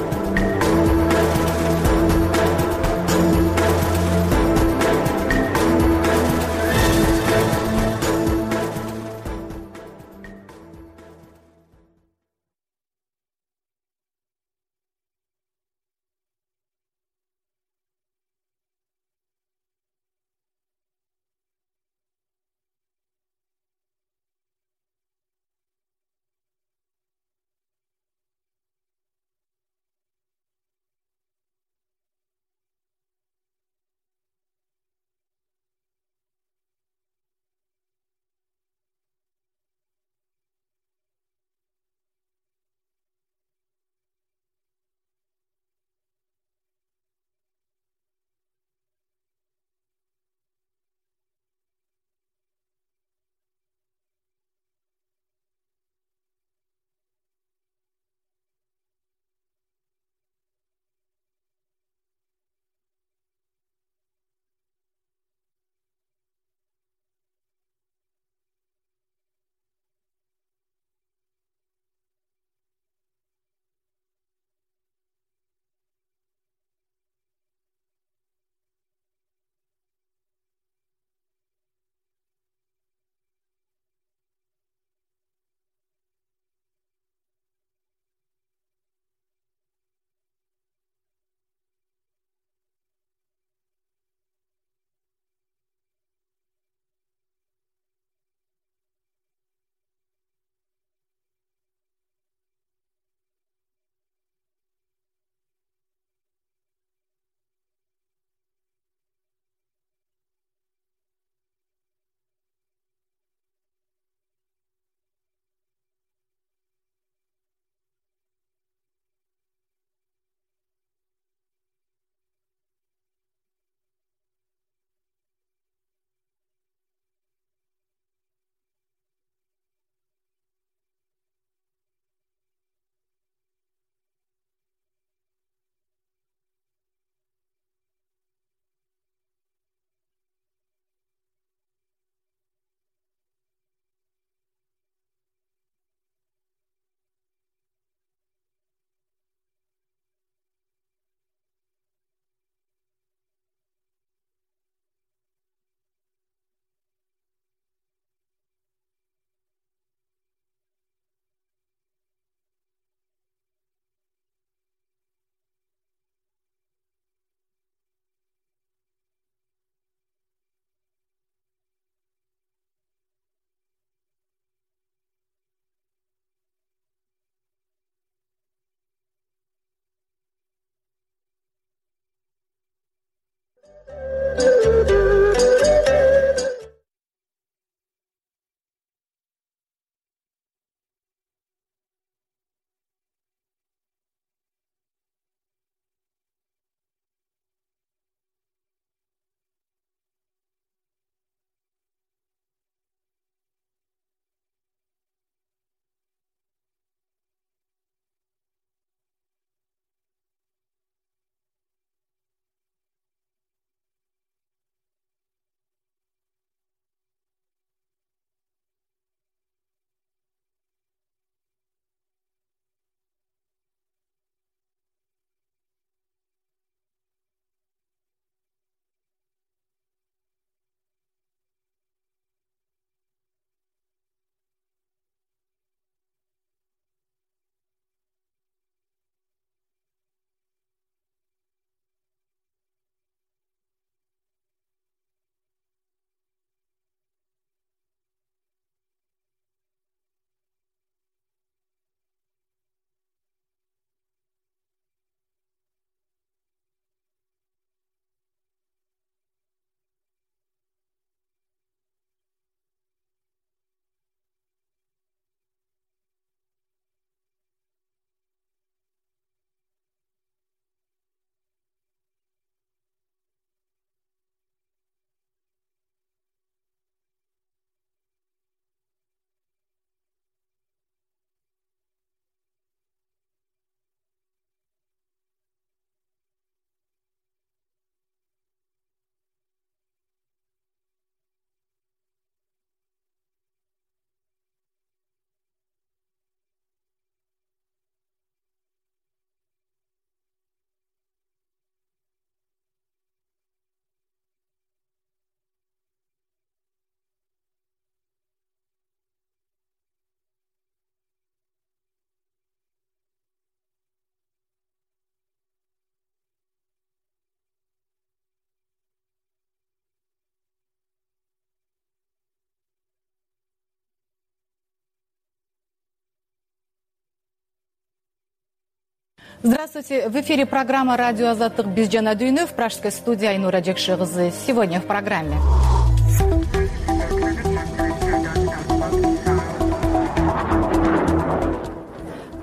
Здравствуйте. В эфире программа «Радио Азаттык». Биз Жана Дүйнөв, Пражская студия, Айнура Жекши кызы. Сегодня в программе.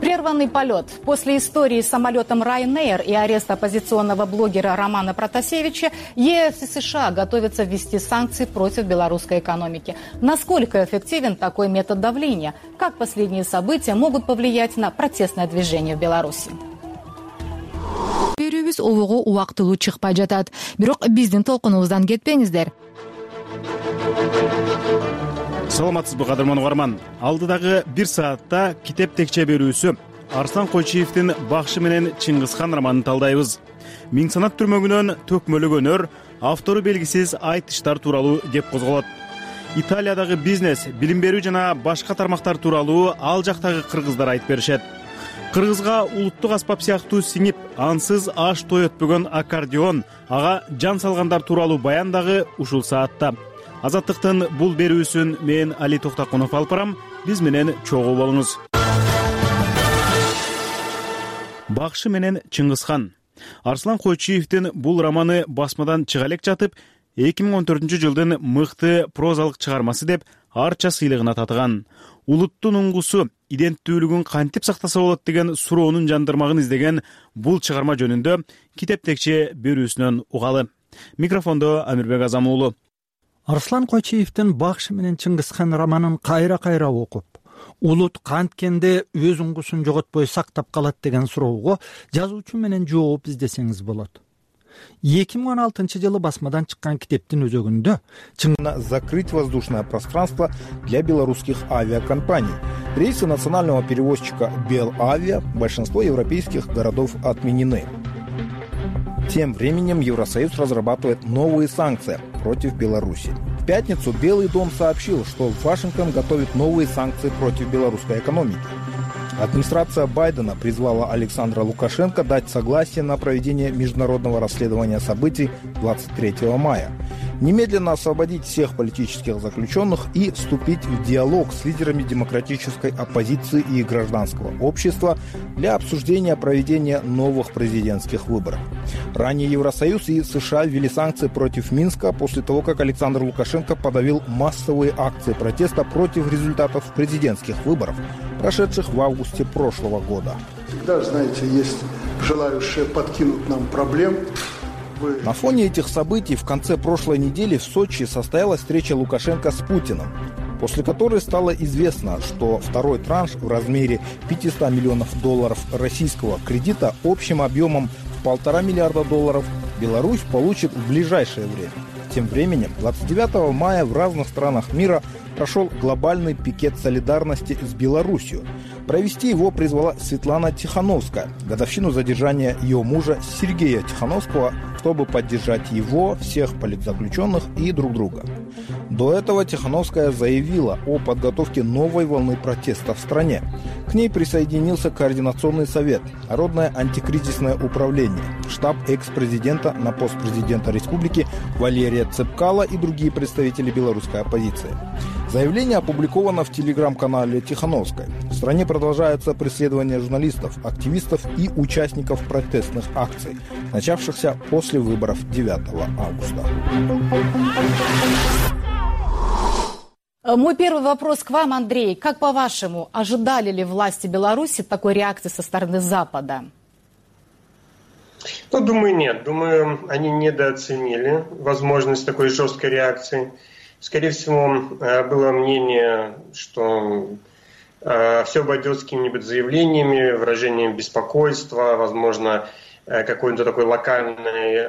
Прерванный полет. После истории с самолетом Ryanair и ареста оппозиционного блогера Романа Протасевича, ЕС и США готовятся ввести санкции против белорусской экономики. Насколько эффективен такой метод давления? Как последние события могут повлиять на протестное движение в Беларуси? Берүүбүз обого убактылуу чыкпай жатат. Бирок биздин толкунубуздан кетпеңиздер. Саламатсызбы, кадырман угарман. Алдыдагы 1 саатта китеп текче берүүсү Арслан Койчиевдин Бакшы менен Чыңгызхан романын талдайбыз. Миң санат түрмөгүнөн төкмөлөгөнөр, автору белгисиз айтыштар тууралуу кеп козголот. Италиядагы бизнес, билим берүү жана башка тармактар тууралуу ал жактагы кыргыздар айтып беришет. Кыргызга улуттук аспап сыяктуу сиңип, ансыз аш той өтпөгөн аккордеон, ага жан салгандар тууралуу баян дагы ушул саатта. Азаттыктын бул берүүсүн мен Али Токтакунов алып барам. Биз менен чогуу болуңуз. Бакшы менен Чыңгызхан. Арслан Койчиевдин бул романы басмадан чыга элек жатып, 2014-жылдын мыкты прозалык чыгармасы деп арча сыйлыгына татыган. Улуттун уңгусу, иденттүүлүгүн кантип сактаса болот деген суроонун жандырмагын издеген бул чыгарма жөнүндө китеп текче берүүсүнөн угалы. Микрофондо Амирбек Азам уулу. Арслан Койчиевдин Бакшы менен Чыңгызхан романын кайра окуп, улут канткенде өз уңгусун жоготпой сактап калат деген суроого жазуучу менен жооп издесеңиз болот. 2016-жылы басмадан чыккан китептин өзөгүндө закрыть воздушное пространство для белорусских авиакомпаний. Рейсы национального перевозчика Белавиа в большинство европейских городов отменены. Тем временем Евросоюз разрабатывает новые санкции против Беларуси. В пятницу Белый дом сообщил, что Вашингтон готовит новые санкции против белорусской экономики. Администрация Байдена призвала Александра Лукашенко дать согласие на проведение международного расследования событий 23 мая, немедленно освободить всех политических заключенных и вступить в диалог с лидерами демократической оппозиции и гражданского общества для обсуждения проведения новых президентских выборов. Ранее Евросоюз и США ввели санкции против Минска после того, как Александр Лукашенко подавил массовые акции протеста против результатов президентских выборов, прошедших в августе прошлого года. Всегда, знаете, есть желающие подкинуть нам проблем. На фоне этих событий в конце прошлой недели в Сочи состоялась встреча Лукашенко с Путиным, после которой стало известно, что второй транш в размере $500 миллионов российского кредита общим объемом в $1,5 миллиарда Беларусь получит в ближайшее время. Тем временем, 29 мая в разных странах мира прошел глобальный пикет солидарности с Беларусью. Провести его призвала Светлана Тихановская, годовщину задержания ее мужа Сергея Тихановского, чтобы поддержать его, всех политзаключенных и друг друга. До этого Тихановская заявила о подготовке новой волны протеста в стране. К ней присоединился Координационный совет, Народное антикризисное управление, штаб экс-президента на пост президента республики Валерия Цепкала и другие представители белорусской оппозиции. Заявление опубликовано в телеграм-канале Тихановской. В стране продолжается преследование журналистов, активистов и участников протестных акций, начавшихся после выборов 9 августа. Мой первый вопрос к вам, Андрей. Как по-вашему, ожидали ли власти Беларуси такой реакции со стороны Запада? Думаю, нет. Думаю, они недооценили возможность такой жесткой реакции. Скорее всего, было мнение, что все обойдется какими-нибудь заявлениями, выражением беспокойства, возможно, какой-то такой локальной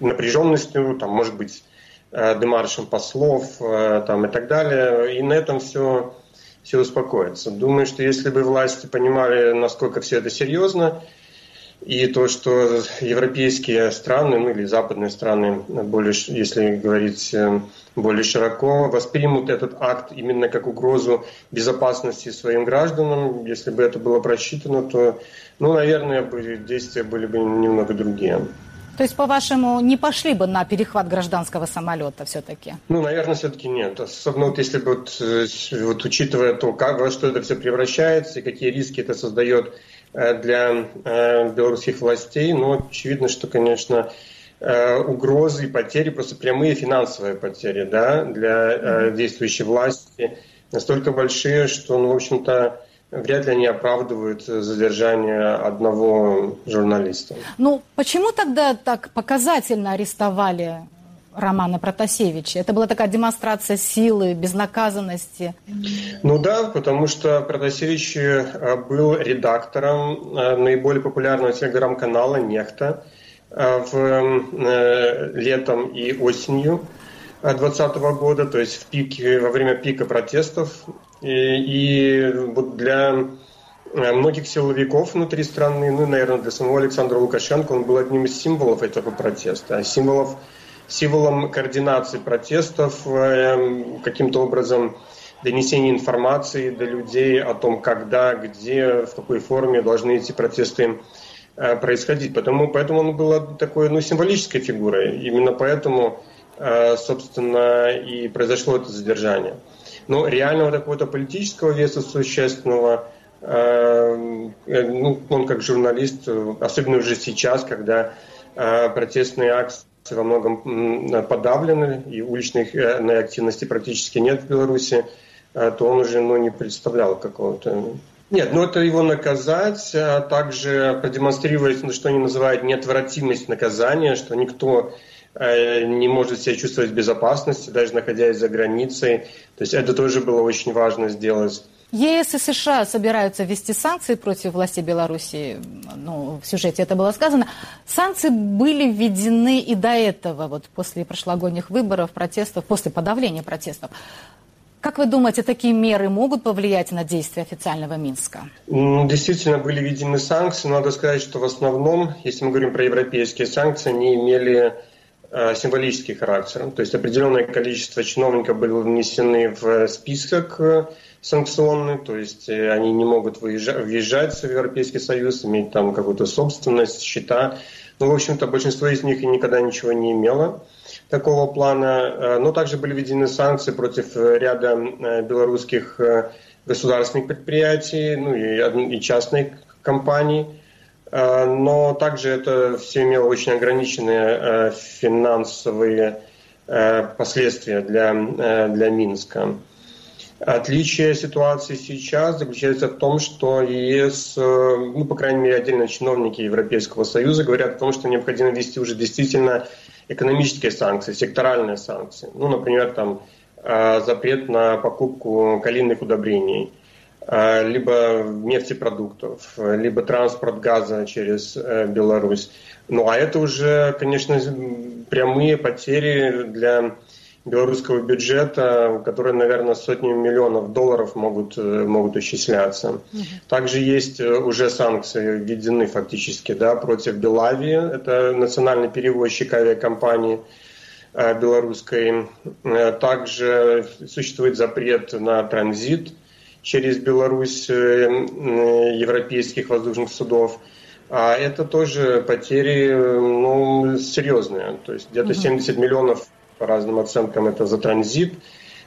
напряженностью, там, может быть, демаршем послов там, и так далее. И на этом все успокоится. Думаю, что если бы власти понимали, насколько все это серьезно, и то, что европейские страны, ну или западные страны, более, если говорить более широко, воспримут этот акт именно как угрозу безопасности своим гражданам, если бы это было просчитано, то, наверное, действия были бы немного другие. То есть, по-вашему, не пошли бы на перехват гражданского самолета все-таки? Наверное, все-таки нет. Особенно если бы учитывая то, во что это все превращается и какие риски это создает для белорусских властей, очевидно, что, конечно, угрозы и потери, просто прямые финансовые потери, да, для действующей власти настолько большие, что, в общем-то, вряд ли они оправдывают задержание одного журналиста. Почему тогда так показательно арестовали Романа Протасевича? Это была такая демонстрация силы, безнаказанности. Да, потому что Протасевич был редактором наиболее популярного телеграм-канала «Нехта» летом и осенью 2020 года, то есть во время пика протестов. И для многих силовиков внутри страны, наверное, для самого Александра Лукашенко, он был одним из символов этого протеста, символом координации протестов, каким-то образом донесения информации до людей о том, когда, где, в какой форме должны эти протесты происходить. Поэтому он был такой символической фигурой. Именно поэтому, собственно, и произошло это задержание. Но реального какого-то политического веса существенного, он как журналист, особенно уже сейчас, когда протестные акции во многом подавлены и уличной активности практически нет в Беларуси, то он уже не представлял какого-то... Нет, это его наказать, а также продемонстрировать, что они называют неотвратимость наказания, что никто не может себя чувствовать в безопасности, даже находясь за границей. То есть это тоже было очень важно сделать. ЕС и США собираются ввести санкции против властей Беларуси. В сюжете это было сказано. Санкции были введены и до этого, после прошлогодних выборов, протестов, после подавления протестов. Как вы думаете, такие меры могут повлиять на действия официального Минска? Действительно, были введены санкции. Надо сказать, что в основном, если мы говорим про европейские санкции, они имели символический характер. То есть определенное количество чиновников было внесены в список санкционный, то есть они не могут въезжать в Европейский Союз, иметь там какую-то собственность, счета. В общем-то, большинство из них и никогда ничего не имело такого плана. Но также были введены санкции против ряда белорусских государственных предприятий, и частных компаний. Но также это все имело очень ограниченные финансовые последствия для Минска. Отличие ситуации сейчас заключается в том, что ЕС, по крайней мере, отдельно чиновники Европейского Союза говорят о том, что необходимо ввести уже действительно экономические санкции, секторальные санкции. Например, запрет на покупку калийных удобрений, либо нефтепродуктов, либо транспорт газа через Беларусь. А это уже, конечно, прямые потери для белорусского бюджета, которые, наверное, сотнями миллионов долларов могут исчисляться. Также есть уже санкции введены фактически против Белавии, это национальный перевозчик авиакомпании белорусской. Также существует запрет на транзит через Беларусь европейских воздушных судов. А это тоже потери серьезные. То есть где-то 70 миллионов по разным оценкам это за транзит.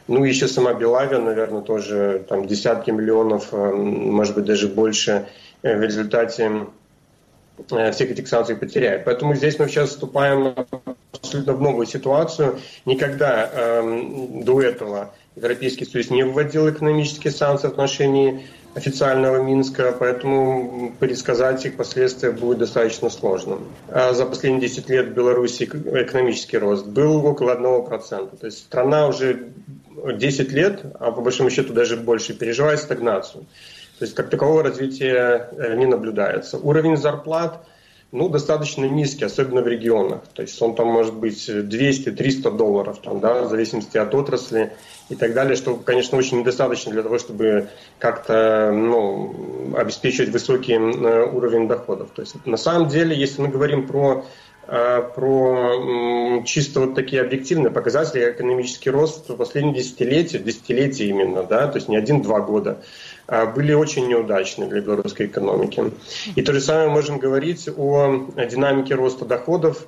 Еще сама Белавия, наверное, тоже десятки миллионов, может быть, даже больше в результате всех этих санкций потеряет. Поэтому здесь мы сейчас вступаем абсолютно в новую ситуацию. Никогда до этого Европейский Союз не вводил экономические санкции в отношении официального Минска, поэтому предсказать их последствия будет достаточно сложно. За последние 10 лет в Беларуси экономический рост был около 1%. То есть страна уже 10 лет, а по большому счету даже больше, переживает стагнацию. То есть как такового развития не наблюдается. Уровень зарплат достаточно низкий, особенно в регионах. То есть он может быть $200-300, в зависимости от отрасли и так далее, что, конечно, очень недостаточно для того, чтобы как-то обеспечивать высокий уровень доходов. То есть на самом деле, если мы говорим про чисто такие объективные показатели, экономический рост в последние десятилетия именно, то есть не 1-2 года, были очень неудачны для белорусской экономики. И то же самое можем говорить о динамике роста доходов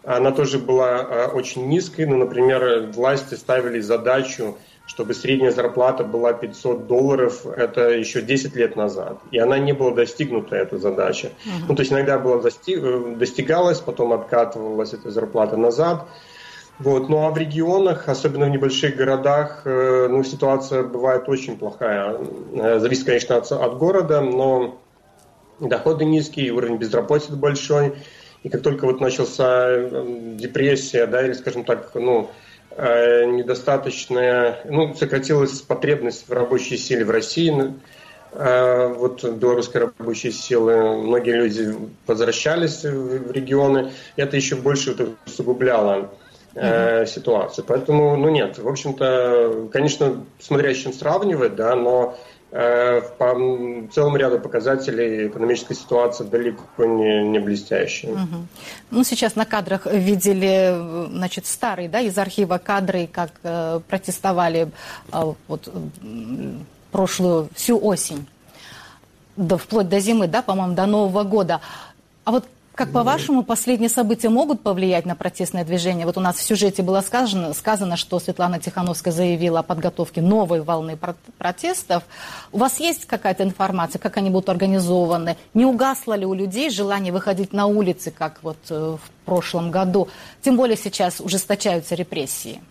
она тоже была очень низкой. Ну, например, власти ставили задачу, чтобы средняя зарплата была $500, это еще 10 лет назад. И она не была достигнута, эта задача. Ну, то есть иногда была достигалась, потом откатывалась эта зарплата назад. Вот. Ну а в регионах, особенно в небольших городах, ну, ситуация бывает очень плохая. Зависит, конечно, от города, но доходы низкие, уровень безработицы большой. И как только вот начался депрессия, да, или, скажем так, ну, недостаточная, ну, сократилась потребность в рабочей силе в России, вот белорусской рабочей силы, многие люди возвращались в регионы, это еще больше вот усугубляло ситуацию. Поэтому, ну нет, в общем-то, конечно, смотря с чем сравнивать, да, но по целому ряду показателей экономическая ситуация далеко не блестящая. Ну, сейчас на кадрах видели, значит, старые, да, из архива кадры, как протестовали вот прошлую всю осень, вплоть до зимы, да, по-моему, до Нового года. А вот как, по-вашему, последние события могут повлиять на протестное движение? Вот у нас в сюжете было сказано, что Светлана Тихановская заявила о подготовке новой волны протестов. У вас есть какая-то информация, как они будут организованы? Не угасло ли у людей желание выходить на улицы, как вот в прошлом году? Тем более сейчас ужесточаются репрессии.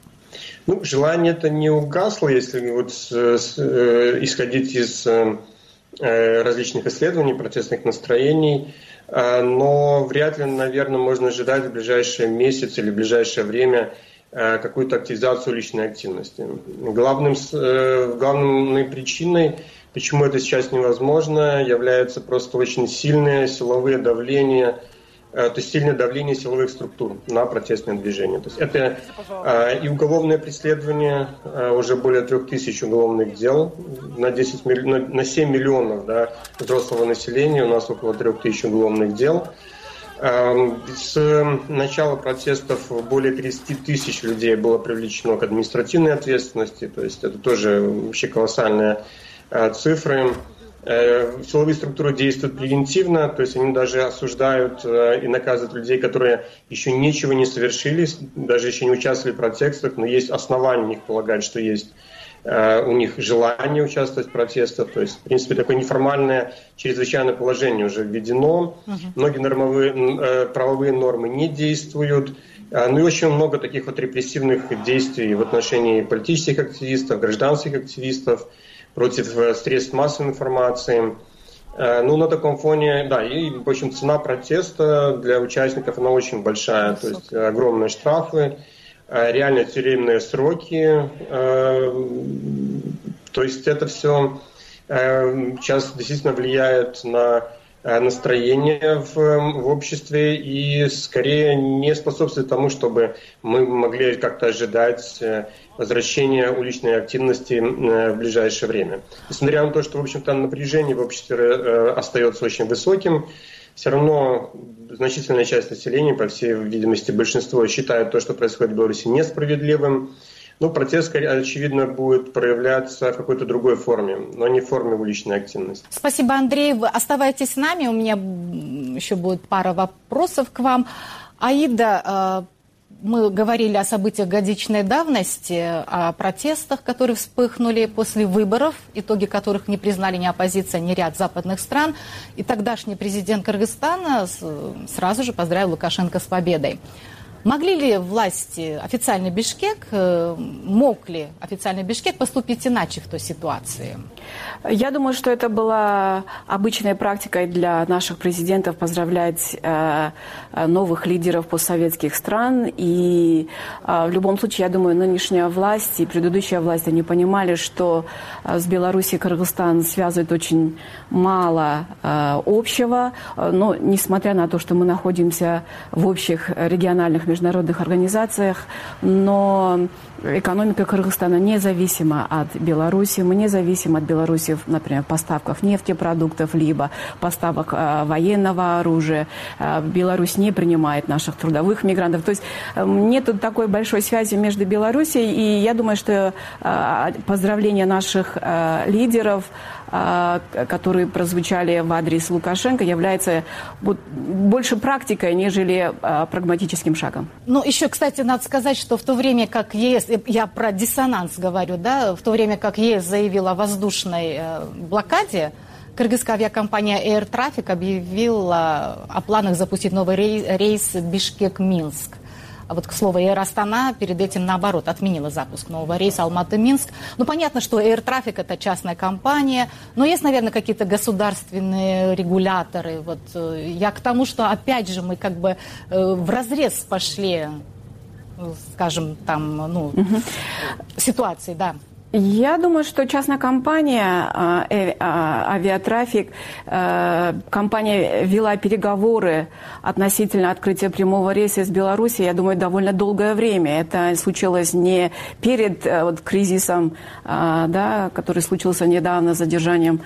Ну, желание это не угасло, если вот исходить из различных исследований, протестных настроений. Но вряд ли, наверное, можно ожидать в ближайший месяц или в ближайшее время какую-то активизацию уличной активности. Главной причиной, почему это сейчас невозможно, является просто очень сильное силовое давление, то есть сильное давление силовых структур на протестное движение. То есть это и уголовное преследование, уже более 3000 уголовных дел на 7 миллионов, да, взрослого населения, у нас около 3000 уголовных дел. С начала протестов более 30 тысяч людей было привлечено к административной ответственности, то есть это тоже вообще колоссальные цифры. Силовые структуры действуют превентивно, то есть они даже осуждают и наказывают людей, которые еще ничего не совершили, даже еще не участвовали в протестах, но есть основания у них полагать, что есть у них желание участвовать в протестах. То есть, в принципе, такое неформальное чрезвычайное положение уже введено. Многие правовые нормы не действуют. Ну и очень много таких вот репрессивных действий в отношении политических активистов, гражданских активистов, против средств массовой информации. Ну, на таком фоне, да, и, в общем, цена протеста для участников, она очень большая. То есть огромные штрафы, реально тюремные сроки. То есть это все сейчас действительно влияет на настроение в обществе и скорее не способствует тому, чтобы мы могли как-то ожидать возвращения уличной активности в ближайшее время. Несмотря на то, что, в общем-то, напряжение в обществе остается очень высоким, все равно значительная часть населения, по всей видимости, большинство считает то, что происходит в Беларуси, несправедливым. Ну, протест, очевидно, будет проявляться в какой-то другой форме, но не в форме уличной активности. Спасибо, Андрей. Вы оставайтесь с нами. У меня еще будет пара вопросов к вам. Аида, мы говорили о событиях годичной давности, о протестах, которые вспыхнули после выборов, итоги которых не признали ни оппозиция, ни ряд западных стран. И тогдашний президент Кыргызстана сразу же поздравил Лукашенко с победой. Могли ли власти, официальный Бишкек, мог ли официальный Бишкек поступить иначе в той ситуации? Я думаю, что это была обычной практикой для наших президентов поздравлять новых лидеров постсоветских стран. И в любом случае, я думаю, нынешняя власть и предыдущая власть, они понимали, что с Беларусью и Кыргызстан связывает очень мало общего. Но несмотря на то, что мы находимся в общих региональных международных организациях, но экономика Кыргызстана независима от Беларуси. Мы не зависим от Беларуси, например, в поставках нефтепродуктов, либо поставок военного оружия. Беларусь не принимает наших трудовых мигрантов. То есть нет такой большой связи между Беларусью, и я думаю, что поздравления наших лидеров, которые прозвучали в адрес Лукашенко, является больше практикой, нежели прагматическим шагом. Минском. Ну, еще, кстати, надо сказать, что в то время как ЕС, я про диссонанс говорю, да, в то время как ЕС заявила о воздушной блокаде, кыргызская авиакомпания Air Traffic объявила о планах запустить новый рейс Бишкек-Минск. А вот, к слову, Air Astana перед этим, наоборот, отменила запуск нового рейса Алматы-Минск. Ну, понятно, что Air Traffic — это частная компания, но есть, наверное, какие-то государственные регуляторы. Вот я к тому, что, опять же, мы как бы вразрез пошли, скажем, там, ситуации, да. Я думаю, что частная компания «Авиатрафик», компания вела переговоры относительно открытия прямого рейса из Беларуси, я думаю, довольно долгое время. Это случилось не перед кризисом, да, который случился недавно, задержанием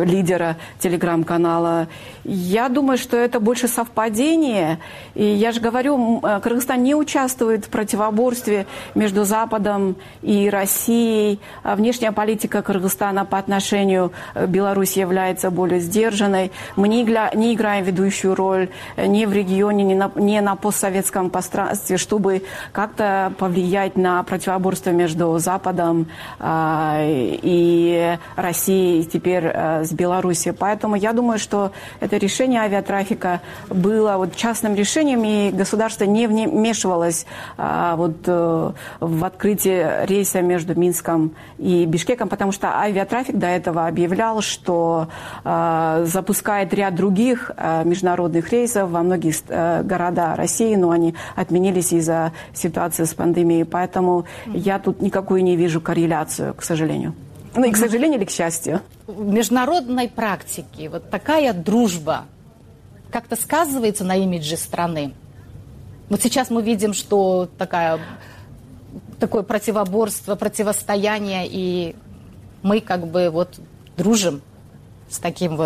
лидера телеграм-канала. Я думаю, что это больше совпадение. И я же говорю, Кыргызстан не участвует в противоборстве между Западом и Россией. Внешняя политика Кыргызстана по отношению к Беларуси является более сдержанной. Мы не играем ведущую роль ни в регионе, ни на постсоветском пространстве, чтобы как-то повлиять на противоборство между Западом и Россией, теперь с Беларусью. Поэтому я думаю, что это решение авиатрафика было частным решением, и государство не вмешивалось в открытие рейса между Минском и Бишкеком, потому что авиатрафик до этого объявлял, что запускает ряд других международных рейсов во многих городах России, но они отменились из-за ситуации с пандемией. Поэтому я тут никакую не вижу корреляцию, к сожалению. Ну и к сожалению или к счастью. В международной практике вот такая дружба как-то сказывается на имидже страны. Вот сейчас мы видим, что такое противоборство, противостояние, и мы как бы дружим с таким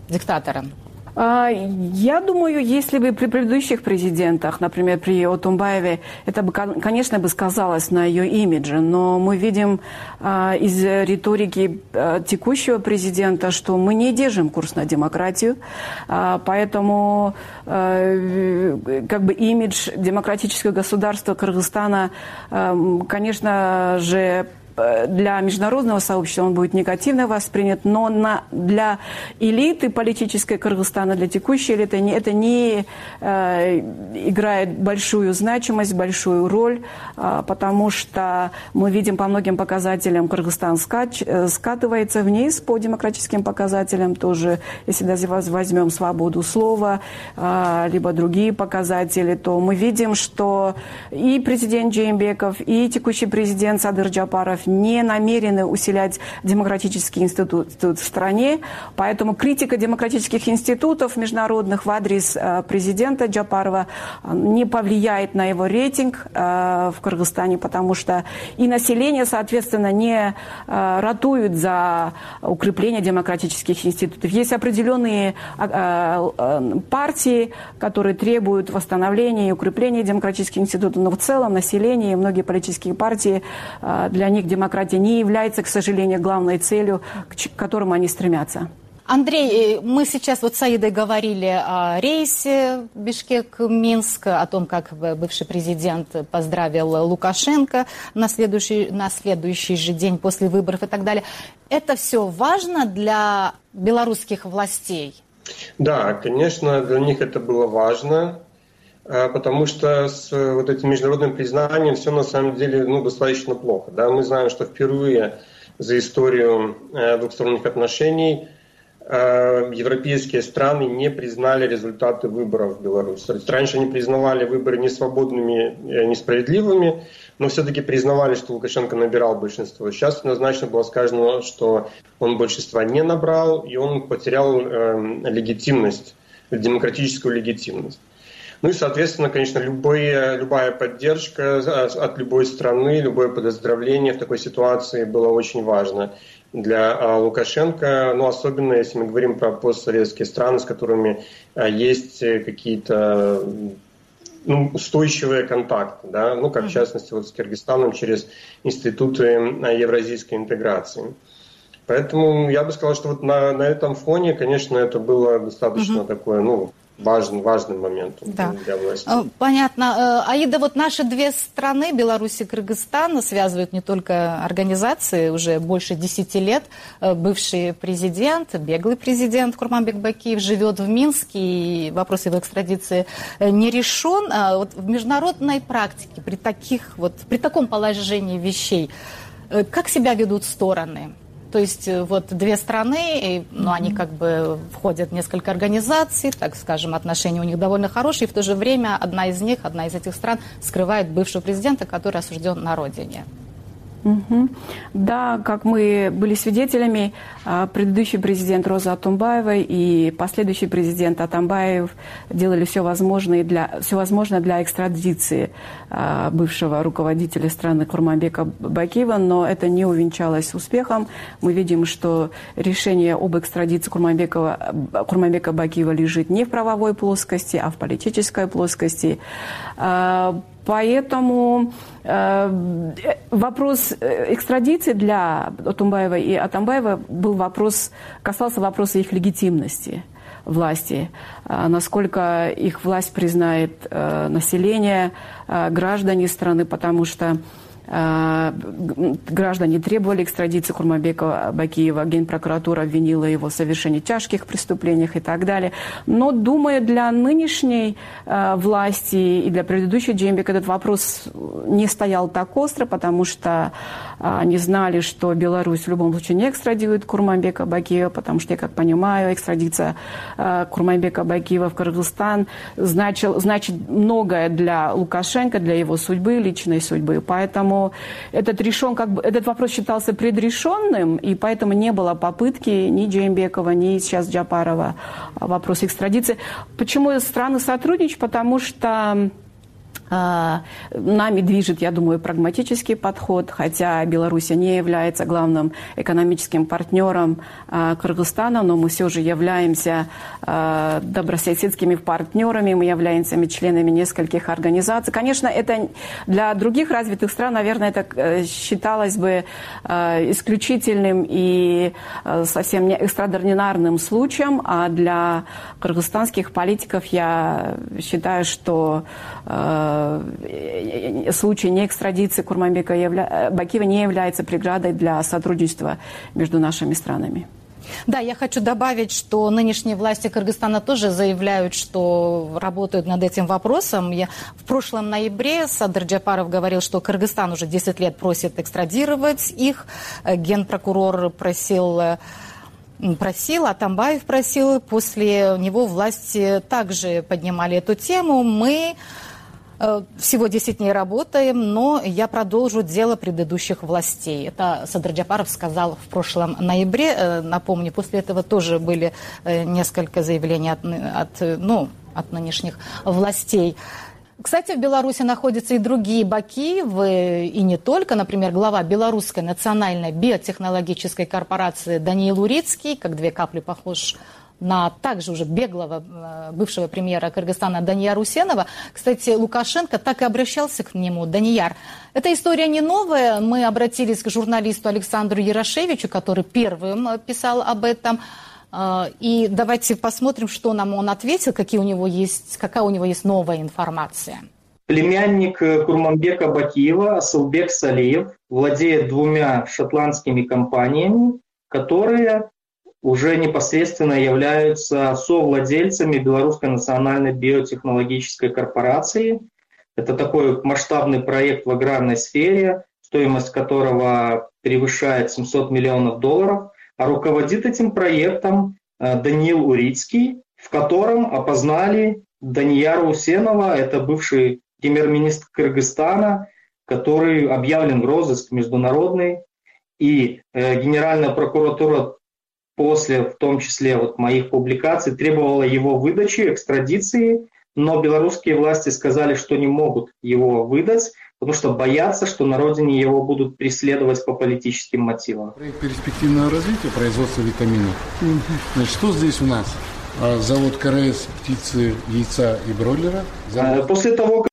диктатором. Я думаю, если бы при предыдущих президентах, например, при Отунбаеве, это бы, конечно, сказалось на ее имидже, но мы видим из риторики текущего президента, что мы не держим курс на демократию, поэтому имидж демократического государства Кыргызстана, конечно же, для международного сообщества он будет негативно воспринят, но для элиты политической Кыргызстана, для текущей элиты это не играет большую значимость, большую роль, потому что мы видим по многим показателям, Кыргызстан скатывается вниз, по демократическим показателям тоже, если даже возьмем свободу слова, либо другие показатели, то мы видим, что и президент Жээнбеков, и текущий президент Садыр Жапаров не намерены усилять демократический институт в стране, поэтому критика демократических институтов международных в адрес президента Жапарова не повлияет на его рейтинг в Кыргызстане, потому что и население, соответственно, не ратует за укрепление демократических институтов. Есть определенные партии, которые требуют восстановления и укрепления демократических институтов, но в целом население и многие политические партии, для них демократия не является, к сожалению, главной целью, к которому они стремятся. Андрей, мы сейчас с Саидой говорили о рейсе Бишкек-Минск, о том, как бывший президент поздравил Лукашенко на следующий же день после выборов и так далее. Это все важно для белорусских властей? Да, конечно, для них это было важно, потому что с этим международным признанием все на самом деле достаточно плохо. Да? Мы знаем, что впервые за историю двухсторонних отношений европейские страны не признали результаты выборов в Беларуси. То есть раньше они признавали выборы несвободными, несправедливыми, но все-таки признавали, что Лукашенко набирал большинство. Сейчас однозначно было сказано, что он большинства не набрал, и он потерял легитимность, демократическую легитимность. Ну и, соответственно, конечно, любая поддержка от любой страны, любое поздравление в такой ситуации было очень важно для Лукашенко, но особенно если мы говорим про постсоветские страны, с которыми есть какие-то устойчивые контакты, да? Как в частности с Кыргызстаном через институты евразийской интеграции. Поэтому я бы сказал, что на этом фоне, конечно, это было достаточно такое, важным моментом для власти. Понятно. Аида, вот наши две страны, Беларусь и Кыргызстан, связывают не только организации, уже больше 10 лет. Бывший президент, беглый президент Курманбек Бакиев живет в Минске, и вопрос его экстрадиции не решен. Вот в международной практике при таком положении вещей, как себя ведут стороны? То есть вот две страны, они как бы входят в несколько организаций, так скажем, отношения у них довольно хорошие, и в то же время одна из этих стран скрывает бывшего президента, который осужден на родине. Да, как мы были свидетелями, предыдущий президент Роза Атамбаева и последующий президент Атамбаев делали все возможное для экстрадиции бывшего руководителя страны Курманбека Бакиева, но это не увенчалось успехом. Мы видим, что решение об экстрадиции Курманбека Бакиева лежит не в правовой плоскости, а в политической плоскости. Поэтому вопрос экстрадиции для Атамбаева и Атамбаева касался вопроса их легитимности власти, насколько их власть признает население, граждане страны, потому что граждане требовали экстрадиции Курманбека Бакиева, Генпрокуратура обвинила его в совершении тяжких преступлений и так далее. Но, думаю, для нынешней власти и для предыдущей Джеймбека этот вопрос не стоял так остро, потому что они знали, что Беларусь в любом случае не экстрадирует Курманбека Бакиева, потому что, я как понимаю, экстрадиция Курманбека Бакиева в Кыргызстан значит многое для Лукашенко, для его судьбы, личной судьбы. Поэтому этот вопрос считался предрешенным, и поэтому не было попытки ни Джеймбекова, ни сейчас Джапарова вопрос экстрадиции. Почему страны сотрудничают? Потому что нами движет, я думаю, прагматический подход, хотя Беларусь не является главным экономическим партнером Кыргызстана, но мы все же являемся добрососедскими партнерами, мы являемся членами нескольких организаций. Конечно, это для других развитых стран, наверное, это считалось бы исключительным и совсем не экстраординарным случаем, а для кыргызстанских политиков я считаю, что случай неэкстрадиции Курманбека Бакиева не является преградой для сотрудничества между нашими странами. Да, я хочу добавить, что нынешние власти Кыргызстана тоже заявляют, что работают над этим вопросом. В прошлом ноябре Садыр Джапаров говорил, что Кыргызстан уже 10 лет просит экстрадировать их. Генпрокурор просил, Атамбаев просил. После него власти также поднимали эту тему. Мы всего 10 дней работаем, но я продолжу дело предыдущих властей. Это Садыр Джапаров сказал в прошлом ноябре. Напомню, после этого тоже были несколько заявлений от нынешних властей. Кстати, в Беларуси находятся и другие Бакиевы, и не только. Например, глава Белорусской национальной биотехнологической корпорации Даниил Урицкий, как две капли похож на также уже беглого бывшего премьера Кыргызстана Данияра Усенова. Кстати, Лукашенко так и обращался к нему. Данияр, эта история не новая. Мы обратились к журналисту Александру Ярошевичу, который первым писал об этом. И давайте посмотрим, что нам он ответил, какая у него есть новая информация. Племянник Курманбека Бакиева, Асылбек Салиев, владеет 2 шотландскими компаниями, которые уже непосредственно являются совладельцами Белорусской национальной биотехнологической корпорации. Это такой масштабный проект в аграрной сфере, стоимость которого превышает $700 миллионов, а руководит этим проектом Даниил Урицкий, в котором опознали Данияра Усенова, это бывший премьер-министр Кыргызстана, который объявлен в розыск международный, и Генеральная прокуратура после, в том числе, моих публикаций, требовала его выдачи, экстрадиции, но белорусские власти сказали, что не могут его выдать, потому что боятся, что на родине его будут преследовать по политическим мотивам. Проект перспективного развития производства витаминов. Значит, что здесь у нас? Завод КРС птицы, яйца и бройлера. После того,